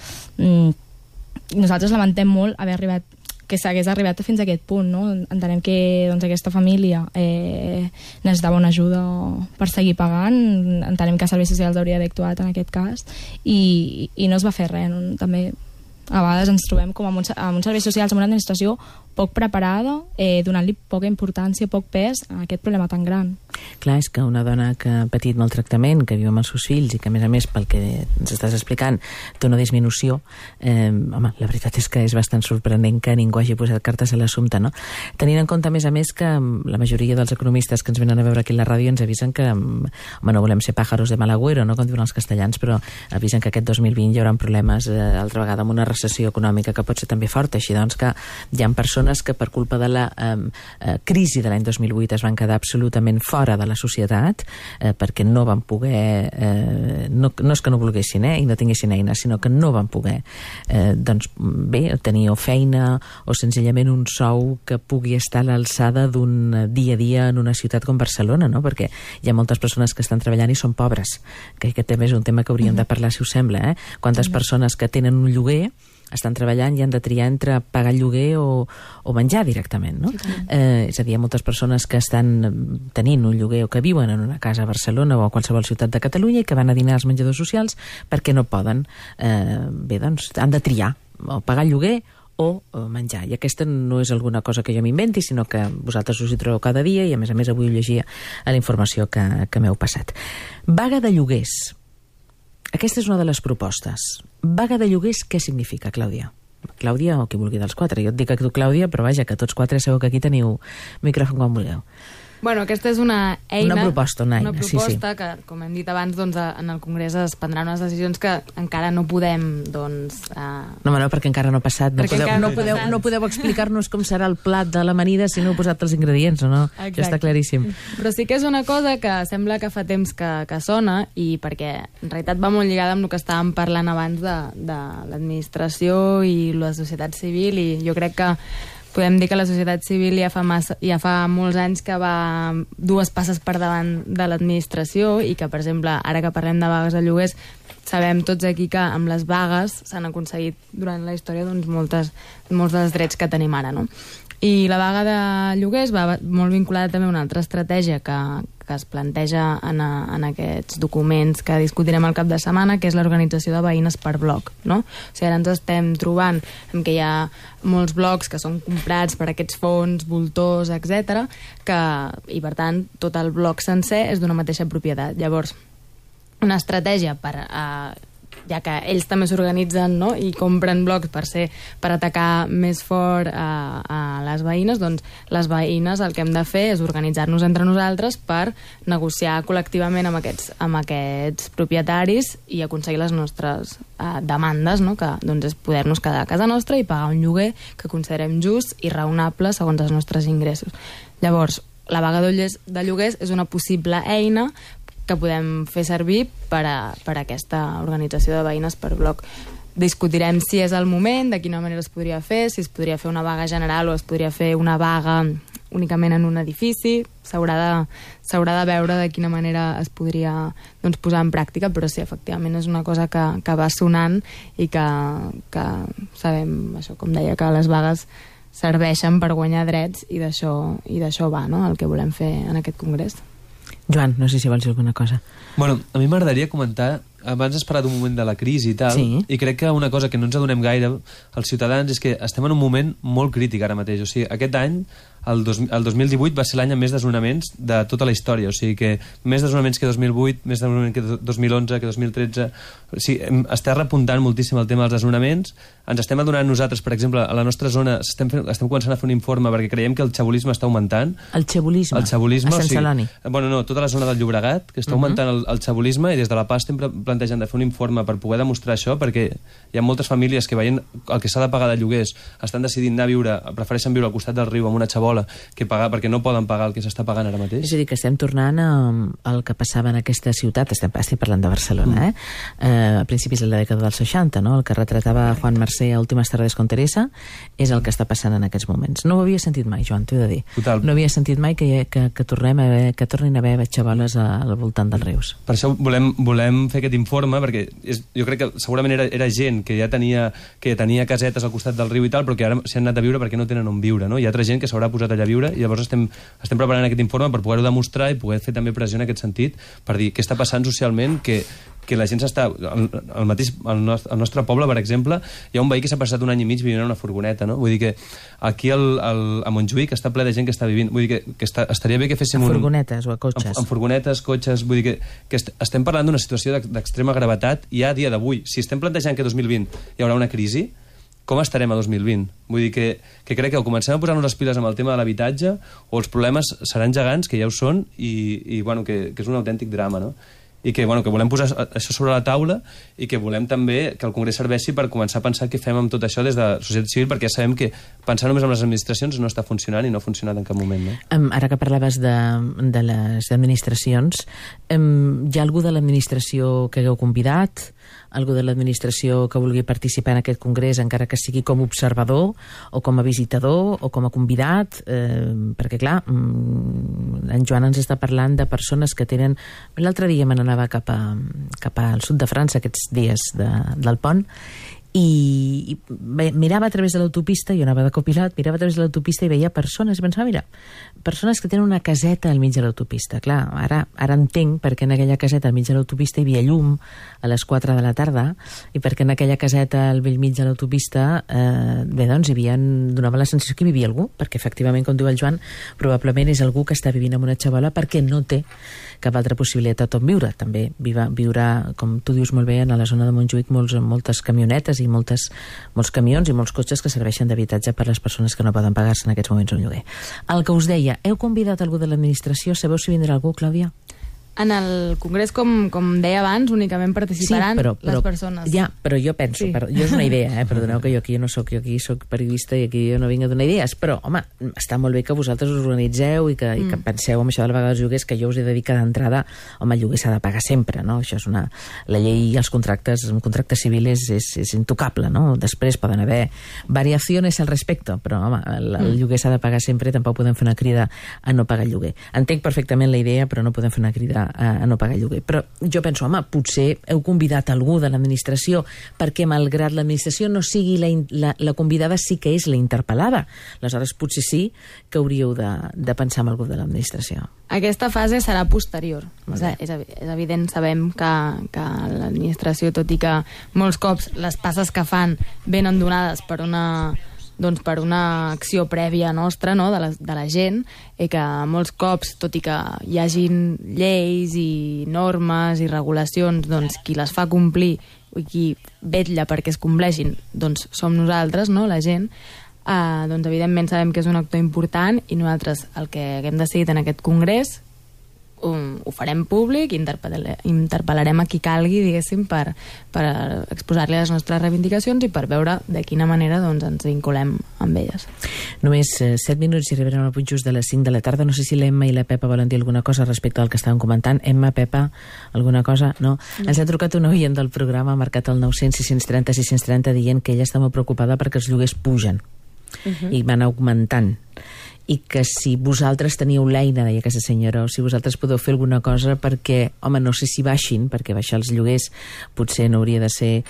Nosaltres lamentem molt haver arribat, que s'hagués arribat fins a aquest punt, no? Entenem que doncs, aquesta família necessitava una ajuda per seguir pagant. Entenem que Serveis Socials hauria d'haver actuat en aquest cas i no es va fer res. No? També a vegades ens trobem com amb uns serveis socials, amb una administració poc preparada, donant-li poca importància, poc pes a aquest problema tan gran. Clar, és que una dona que ha patit maltractament, que viu amb els seus fills i que, a més, pel que ens estàs explicant, té una disminució, home, la veritat és que és bastant sorprenent que ningú hagi posat cartes a l'assumpte, no? Tenint en compte, a més, que la majoria dels economistes que ens venen a veure aquí a la ràdio ens avisen que, home, no volem ser pájaros de mal agüero, no?, com diuen els castellans, però avisen que aquest 2020 hi haurà problemes altra vegada amb una recessió econòmica que pot ser també forta, així doncs que hi ha persones que per culpa de la crisi de l'any 2008 es van quedar absolutament fora de la societat perquè no van poder no és que no volguessin i no tinguessin eines, sinó que no van poder doncs bé, tenir o feina o senzillament un sou que pugui estar a l'alçada d'un dia a dia en una ciutat com Barcelona, no? Perquè hi ha moltes persones que estan treballant i són pobres, que aquest també és un tema que hauríem de parlar, si us sembla, Quantes persones que tenen un lloguer estan treballant i han de triar entre pagar el lloguer o menjar directament, no? És a dir, hi ha moltes persones que estan tenint un lloguer o que viuen en una casa a Barcelona o a qualsevol ciutat de Catalunya i que van a dinar als menjadors socials perquè no poden, bé, doncs han de triar o pagar el lloguer o menjar. I aquesta no és alguna cosa que jo m'inventi, sinó que vosaltres us hi trobeu cada dia i a més avui ho llegia a la informació que m'heu passat. Vaga de lloguers. Aquesta és una de les propostes. Vaga de lloguers, què significa, Clàudia? Clàudia o qui vulgui dels quatre. Jo et dic a tu, Clàudia, però vaja, que tots quatre segur que aquí teniu micròfon quan vulgueu. Bueno, aquesta és una eina... Una proposta, sí. Que, com hem dit abans, doncs, en el Congrés es prendran unes decisions que encara no podem, doncs... No, perquè encara no ha passat. No podeu explicar-nos com serà el plat de l'amanida si no heu posat els ingredients, o no? Exacte. Ja està claríssim. Però sí que és una cosa que sembla que fa temps que sona, i perquè en realitat va molt lligada amb el que estàvem parlant abans de l'administració i la societat civil, i jo crec que podem dir que la societat civil ja fa molts anys que va dues passes per davant de l'administració i que, per exemple, ara que parlem de vagues de lloguers, sabem tots aquí que amb les vagues s'han aconseguit durant la història doncs, molts dels drets que tenim ara, no? I la vaga de lloguers va molt vinculada també a una altra estratègia que es planteja en aquests documents que discutirem al cap de setmana, que és l'organització de veïnes per bloc, no? O sigui, ara ens estem trobant que hi ha molts blocs que són comprats per aquests fons, voltors, etc., i per tant tot el bloc sencer és d'una mateixa propietat. Llavors, una estratègia ja que ells també s'organitzen, no?, i compren blocs per atacar més fort a les veïnes, doncs les veïnes el que hem de fer és organitzar-nos entre nosaltres per negociar col·lectivament amb aquests propietaris i aconseguir les nostres demandes, no?, que doncs, és poder-nos quedar a casa nostra i pagar un lloguer que considerem just i raonable segons els nostres ingressos. Llavors, la vaga de lloguers és una possible eina que podem fer servir per a aquesta organització de veïnes per bloc. Discutirem si és el moment, de quina manera es podria fer, si es podria fer una vaga general o es podria fer una vaga únicament en un edifici. S'haurà de veure de quina manera es podria doncs, posar en pràctica, però sí, efectivament és una cosa que va sonant i que sabem, això, com deia, que les vagues serveixen per guanyar drets i d'això va, no?, el que volem fer en aquest congrés. Joan, no sé si vols dir alguna cosa. Bueno, a mi m'agradaria comentar, abans has parlat un moment de la crisi i tal, sí. I crec que una cosa que no ens adonem gaire als ciutadans és que estem en un moment molt crític ara mateix. O sigui, aquest any, el 2018 va ser l'any amb més desnonaments de tota la història, o sigui que més desnonaments que 2008, més desnonaments que 2011, que 2013... O sigui, està repuntant moltíssim el tema dels desnonaments. Ens estem adonant nosaltres, per exemple, a la nostra zona estem començant a fer un informe perquè creiem que el xabolisme està augmentant. El xabolisme? A Sant Celoni? Bueno, no, tota la zona del Llobregat, que està augmentant el xabolisme, i des de la PA estem plantejant de fer un informe per poder demostrar això, perquè hi ha moltes famílies que veient el que s'ha de pagar de lloguers estan decidint anar a viure, prefereixen viure al costat del riu amb una xabola que pagar perquè no poden pagar el que s'està pagant ara mateix. És a dir, que estem tornant al que passava en aquesta ciutat, estic parlant de Barcelona, a principis de la dècada dels 60, no? El que retratava Juan Mercé a Últimes tardes con Teresa és el que està passant en aquests moments. No ho havia sentit mai, Joan, t'ho he de dir. Total. No havia sentit mai que tornin a haver xaboles al voltant dels rius. Per això volem fer aquest informe, perquè jo crec que segurament era gent que ja tenia casetes al costat del riu i tal, però que ara s'hi han anat a viure perquè no tenen on viure, no? Hi ha altra gent que s'haurà posat allà a viure, i llavors estem preparant aquest informe per poder-ho demostrar i poder fer també pressió en aquest sentit, per dir què està passant socialment, que la gent s'està... Al nostre poble, per exemple, hi ha un veí que s'ha passat un any i mig vivint en una furgoneta, no? Vull dir que aquí a Montjuïc està ple de gent que està vivint. Vull dir que estaria bé que féssim a furgonetes o a cotxes. En furgonetes, cotxes... Vull dir que estem parlant d'una situació d'extrema gravetat ja a dia d'avui. Si estem plantejant que 2020 hi haurà una crisi, com estarem a 2020? Vull dir que crec que o comencem a posar-nos les piles amb el tema de l'habitatge o els problemes seran gegants, que ja ho són, i bueno, que és un autèntic drama, no? i que volem posar això sobre la taula i que volem també que el Congrés serveixi per començar a pensar què fem amb tot això des de la societat civil, perquè ja sabem que pensar només en les administracions no està funcionant i no ha funcionat en cap moment. No? Ara que parlaves de les administracions, hi ha algú de l'administració que hagueu convidat? Algú de l'administració que vulgui participar en aquest congrés, encara que sigui com a observador o com a visitador o com a convidat, perquè clar, en Joan ens està parlant de persones que tenen... L'altre dia me n'anava cap al sud de França, aquests dies del pont, i mirava a través de l'autopista, jo anava de copilot, mirava a través de l'autopista i veia persones, i pensava, mira, persones que tenen una caseta al mig de l'autopista. Clar, ara entenc perquè en aquella caseta al mig de l'autopista hi havia llum a les 4 de la tarda, i perquè en aquella caseta al vell mig de l'autopista donava la sensació que hi vivia algú, perquè efectivament, com diu el Joan, probablement és algú que està vivint en una xabola perquè no té cap altra possibilitat on viure. També viurà, com tu dius molt bé, a la zona de Montjuïc moltes camionetes i molts camions i molts cotxes que serveixen d'habitatge per a les persones que no poden pagar-se en aquests moments un lloguer. El que us deia, heu convidat algú de l'administració? Sabeu si vindrà algú, Clàudia? En el congrés, com deia abans, únicament participaran les persones. Ja, però jo penso, jo és una idea, perdoneu que jo aquí no soc, jo aquí soc periodista i aquí jo no vinc a donar idees, però, home, està molt bé que vosaltres us organitzeu i que penseu en això de la vaga dels lloguers, que jo us he de dir que d'entrada, home, el lloguer s'ha de pagar sempre, no? Això és la llei i els contractes, un contracte civil és intocable, no? Després poden haver variacions al respecte, però, home, el lloguer s'ha de pagar sempre i tampoc podem fer una crida a no pagar el lloguer. Entenc perfectament la idea, però no podem fer una crida a no pagar el lloguer. Però jo penso, home, potser heu convidat algú de l'administració perquè malgrat l'administració no sigui la convidada, sí que és la interpel·lada. Aleshores, potser sí que hauríeu de pensar en algú de l'administració. Aquesta fase serà posterior. És evident, sabem que l'administració, tot i que molts cops les passes que fan venen donades per una acció prèvia nostra, no? de la gent, i que molts cops, tot i que hi hagin lleis i normes i regulacions, qui les fa complir i qui vetlla perquè es compleixin, som nosaltres, no? La gent. Evidentment sabem que és un actor important i nosaltres el que hem decidit en aquest congrés ho farem públic, interpel·larem a qui calgui, diguéssim, per exposar-li les nostres reivindicacions i per veure de quina manera ens vinculem amb elles. Només 7 minuts i arribarem al punt just de les 5 de la tarda. No sé si l'Emma i la Pepa volen dir alguna cosa respecte al que estàvem comentant. Emma, Pepa, alguna cosa? No? Ens ha trucat un oient del programa, ha marcat el 900 630 630, dient que ella està molt preocupada perquè els lloguers pugen i van augmentant, i que si vosaltres teníeu l'eina, deia aquesta senyora, o si vosaltres podeu fer alguna cosa perquè, home, no sé si baixin, perquè baixar els lloguers potser no hauria de ser,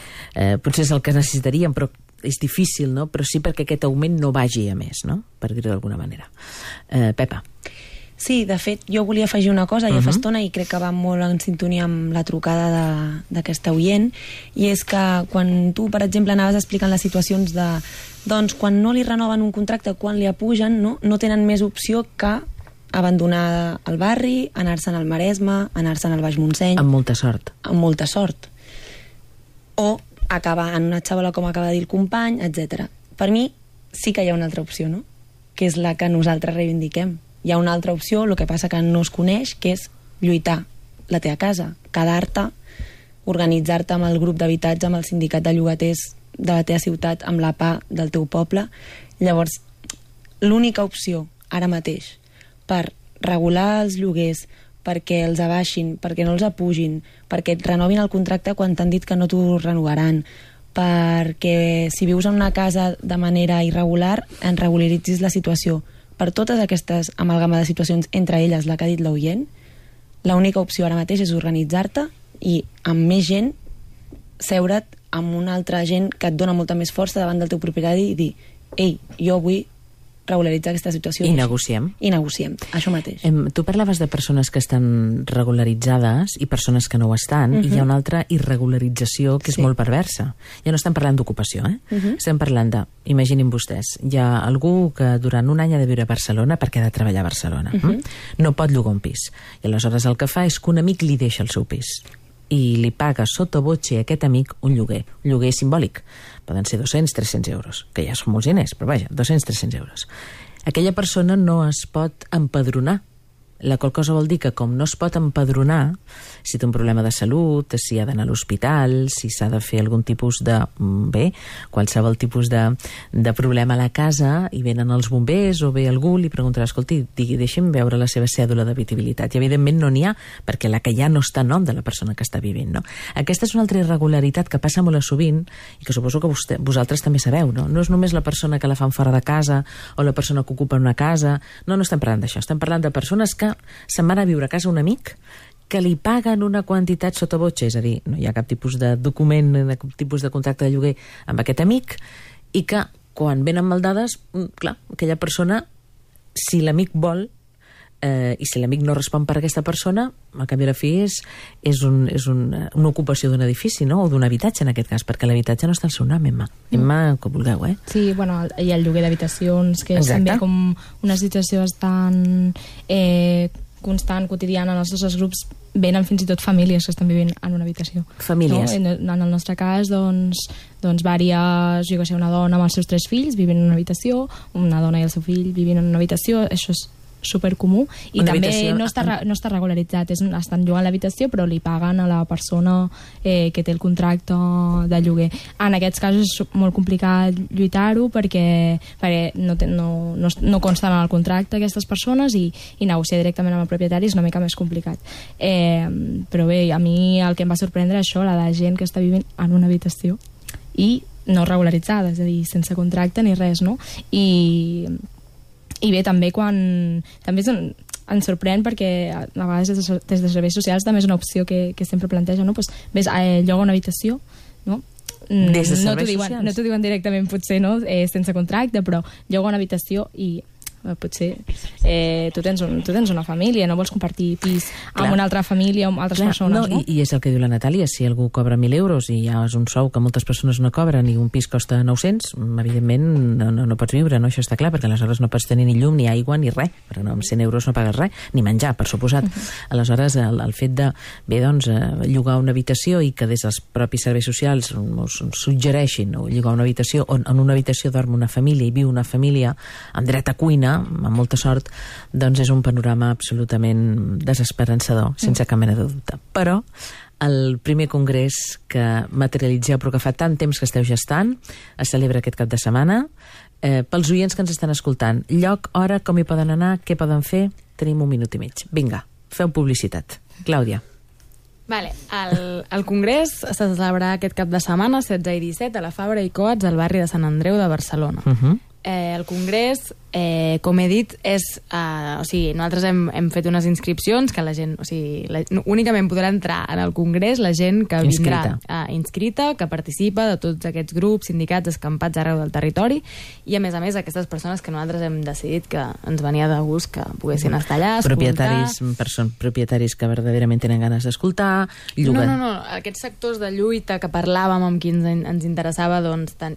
potser és el que necessitaríem, però és difícil, no? Però sí perquè aquest augment no vagi a més, no? Per dir-ho d'alguna manera. Pepa. Sí, de fet, jo volia afegir una cosa ja fa estona i crec que va molt en sintonia amb la trucada d'aquesta oient, i és que quan tu, per exemple, anaves explicant les situacions de quan no li renoven un contracte, quan li apugen, no tenen més opció que abandonar el barri, anar-se'n al Maresme, anar-se'n al Baix Montseny. Amb molta sort. Amb molta sort. O acabar en una xabola, com acaba de dir el company, etc. Per mi sí que hi ha una altra opció, no? Que és la que nosaltres reivindiquem. Hi ha una altra opció, el que passa que no es coneix, que és lluitar la teva casa, quedar-te, organitzar-te amb el grup d'habitatge, amb el sindicat de llogaters de la teva ciutat, amb la PA del teu poble. Llavors, l'única opció ara mateix per regular els lloguers, perquè els abaixin, perquè no els apugin, perquè et renovin el contracte quan t'han dit que no t'ho renovaran, perquè si vius en una casa de manera irregular en regularitzis la situació. Per totes aquestes amalgama de situacions, entre elles la que ha dit l'oient, l'única opció ara mateix és organitzar-te i amb més gent seure't amb una altra gent que et dona molta més força davant del teu propietari i dir, ei, jo vull regularitzar aquesta situació. I negociem. I negociem, això mateix. Tu parlaves de persones que estan regularitzades i persones que no ho estan, i hi ha una altra irregularització que és molt perversa. Ja no estem parlant d'ocupació, estem parlant de, imaginin vostès, hi ha algú que durant un any ha de viure a Barcelona perquè ha de treballar a Barcelona. No pot llogar un pis. I aleshores el que fa és que un amic li deixa el seu pis i li paga sota voce a aquest amic un lloguer simbòlic. Poden ser 200-300 euros, que ja són molts diners, però vaja, 200-300 euros. Aquella persona no es pot empadronar La qual cosa vol dir que com no es pot empadronar, si té un problema de salut, si ha d'anar a l'hospital, si s'ha de fer algun tipus de... qualsevol tipus de problema a la casa, i venen els bombers o ve algú, li preguntarà, escolti, deixi'm veure la seva cèdula d'habitabilitat. I evidentment no n'hi ha, perquè la que hi ha no està a nom de la persona que està vivint, no? Aquesta és una altra irregularitat que passa molt sovint i que suposo que vosaltres també sabeu, no? No és només la persona que la fan fora de casa o la persona que ocupa una casa. No estem parlant d'això, estem parlant de persones que se'n van a viure a casa un amic que li paguen una quantitat sota botxa, és a dir, no hi ha cap tipus de document, cap tipus de contracte de lloguer amb aquest amic, i que quan venen maldades, clar, aquella persona, si l'amic vol, i si l'amic no respon per aquesta persona, al cap i a la fi és una ocupació d'un edifici, no? O d'un habitatge, en aquest cas, perquè l'habitatge no està al seu nom, Emma, com vulgueu, eh? Sí, bueno, hi ha el lloguer d'habitacions, que és també com una situació bastant constant, quotidiana. En els nostres grups venen fins i tot famílies que estan vivint en una habitació. Famílies. No? En el nostre cas, doncs vàries, jo que sé, una dona amb els seus 3 fills vivint en una habitació, una dona i el seu fill vivint en una habitació, això és supercomú, i una també no està regularitzat, estan llogant l'habitació però li paguen a la persona que té el contracte de lloguer. En aquests casos és molt complicat lluitar-ho perquè no consten en el contracte aquestes persones, i negociar directament amb el propietari és una mica més complicat. Però bé, a mi el que em va sorprendre és això, la de gent que està vivint en una habitació i no regularitzada, és a dir, sense contracte ni res, no? I bé, també també ens sorprèn perquè a vegades des de serveis socials també és una opció que sempre planteja, no? Pues, ves, lloga una habitació, no? Des de serveis socials? No t'ho diuen directament, potser, no? Sense contracte, però lloga una habitació i potser tu tens una família, no vols compartir pis amb una altra família o amb altres persones, no? I és el que diu la Natàlia, si algú cobra 1.000 euros i ja és un sou que moltes persones no cobren i un pis costa 900, evidentment no pots viure, no? Això està clar, perquè aleshores no pots tenir ni llum, ni aigua, ni res, perquè amb 100 euros no pagues res, ni menjar, per suposat. Aleshores, el fet de, llogar una habitació i que des dels propis serveis socials us suggereixin o llogar una habitació on en una habitació dorm una família i viu una família amb dret a cuina, amb molta sort, doncs és un panorama absolutament desesperançador, sense cap mena de dubte. Però el primer congrés que materialitzeu, però que fa tant temps que esteu gestant, es celebra aquest cap de setmana. Pels oients que ens estan escoltant, lloc, hora, com hi poden anar, què poden fer? Tenim 1 minut i mig. Vinga, feu publicitat. Clàudia. Vale, el congrés se celebrarà aquest cap de setmana, 16 i 17, a la Fabra i Coats, al barri de Sant Andreu de Barcelona. El congrés, com he dit, nosaltres hem fet unes inscripcions que la gent, únicament podrà entrar en el congrés la gent que vindrà inscrita, que participa de tots aquests grups, sindicats, escampats arreu del territori, i a més aquestes persones que nosaltres hem decidit que ens venia de gust que poguessin estar allà, escoltar. Propietaris que verdaderament tenen ganes d'escoltar, lloguen. No, aquests sectors de lluita que parlàvem amb qui ens interessava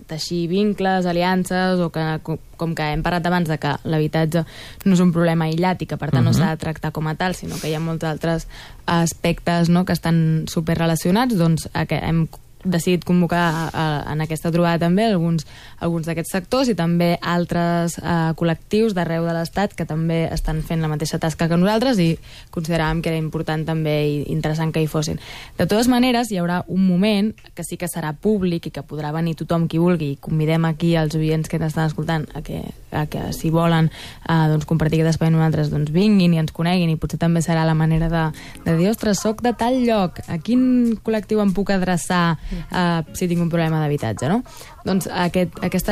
teixir vincles, aliances, o que com que hem parlat abans de que l'habitatge no és un problema aïllat i que per tant no s'ha de tractar com a tal, sinó que hi ha molts altres aspectes, no?, que estan superrelacionats, doncs hem decidit convocar en aquesta trobada també alguns d'aquests sectors i també altres col·lectius d'arreu de l'Estat que també estan fent la mateixa tasca que nosaltres i consideràvem que era important també i interessant que hi fossin. De totes maneres, hi haurà un moment que sí que serà públic i que podrà venir tothom qui vulgui, i convidem aquí els oients que ens estan escoltant a que si volen compartir aquest espai amb nosaltres, vinguin i ens coneguin, i potser també serà la manera de dir, ostres, soc de tal lloc, a quin col·lectiu em puc adreçar si tinc un problema d'habitatge, no? Doncs aquest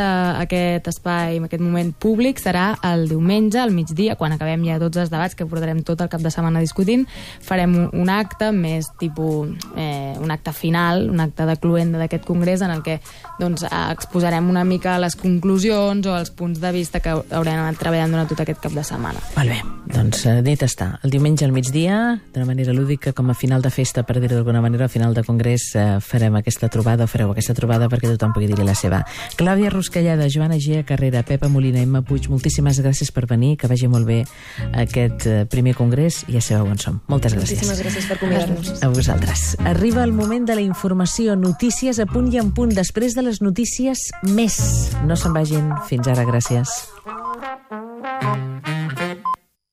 espai, aquest moment públic serà el diumenge al migdia, quan acabem ja tots els debats que portarem tot el cap de setmana discutint. Farem un acte més tipus un acte final, un acte de cloenda d'aquest congrés en el que exposarem una mica les conclusions o els punts de vista que haurem anat treballant durant tot aquest cap de setmana. Molt bé, doncs dit està. El diumenge al migdia, d'una manera lúdica, com a final de festa, per dir-ho d'alguna manera, al final de congrés farem aquesta trobada, o fareu aquesta trobada perquè tothom pugui dir-hi la seva. Clàudia Ruscalleda, Joana Gea Carrera, Pepa Molina, Emma Puig, moltíssimes gràcies per venir, que vagi molt bé aquest primer congrés, i ja sabeu on som. Moltes gràcies. Moltíssimes gràcies per convidar-nos. A vosaltres. Arriba el moment de la informació, notícies a punt i en punt, després de les notícies més. No se'n vagin. Fins ara, gràcies.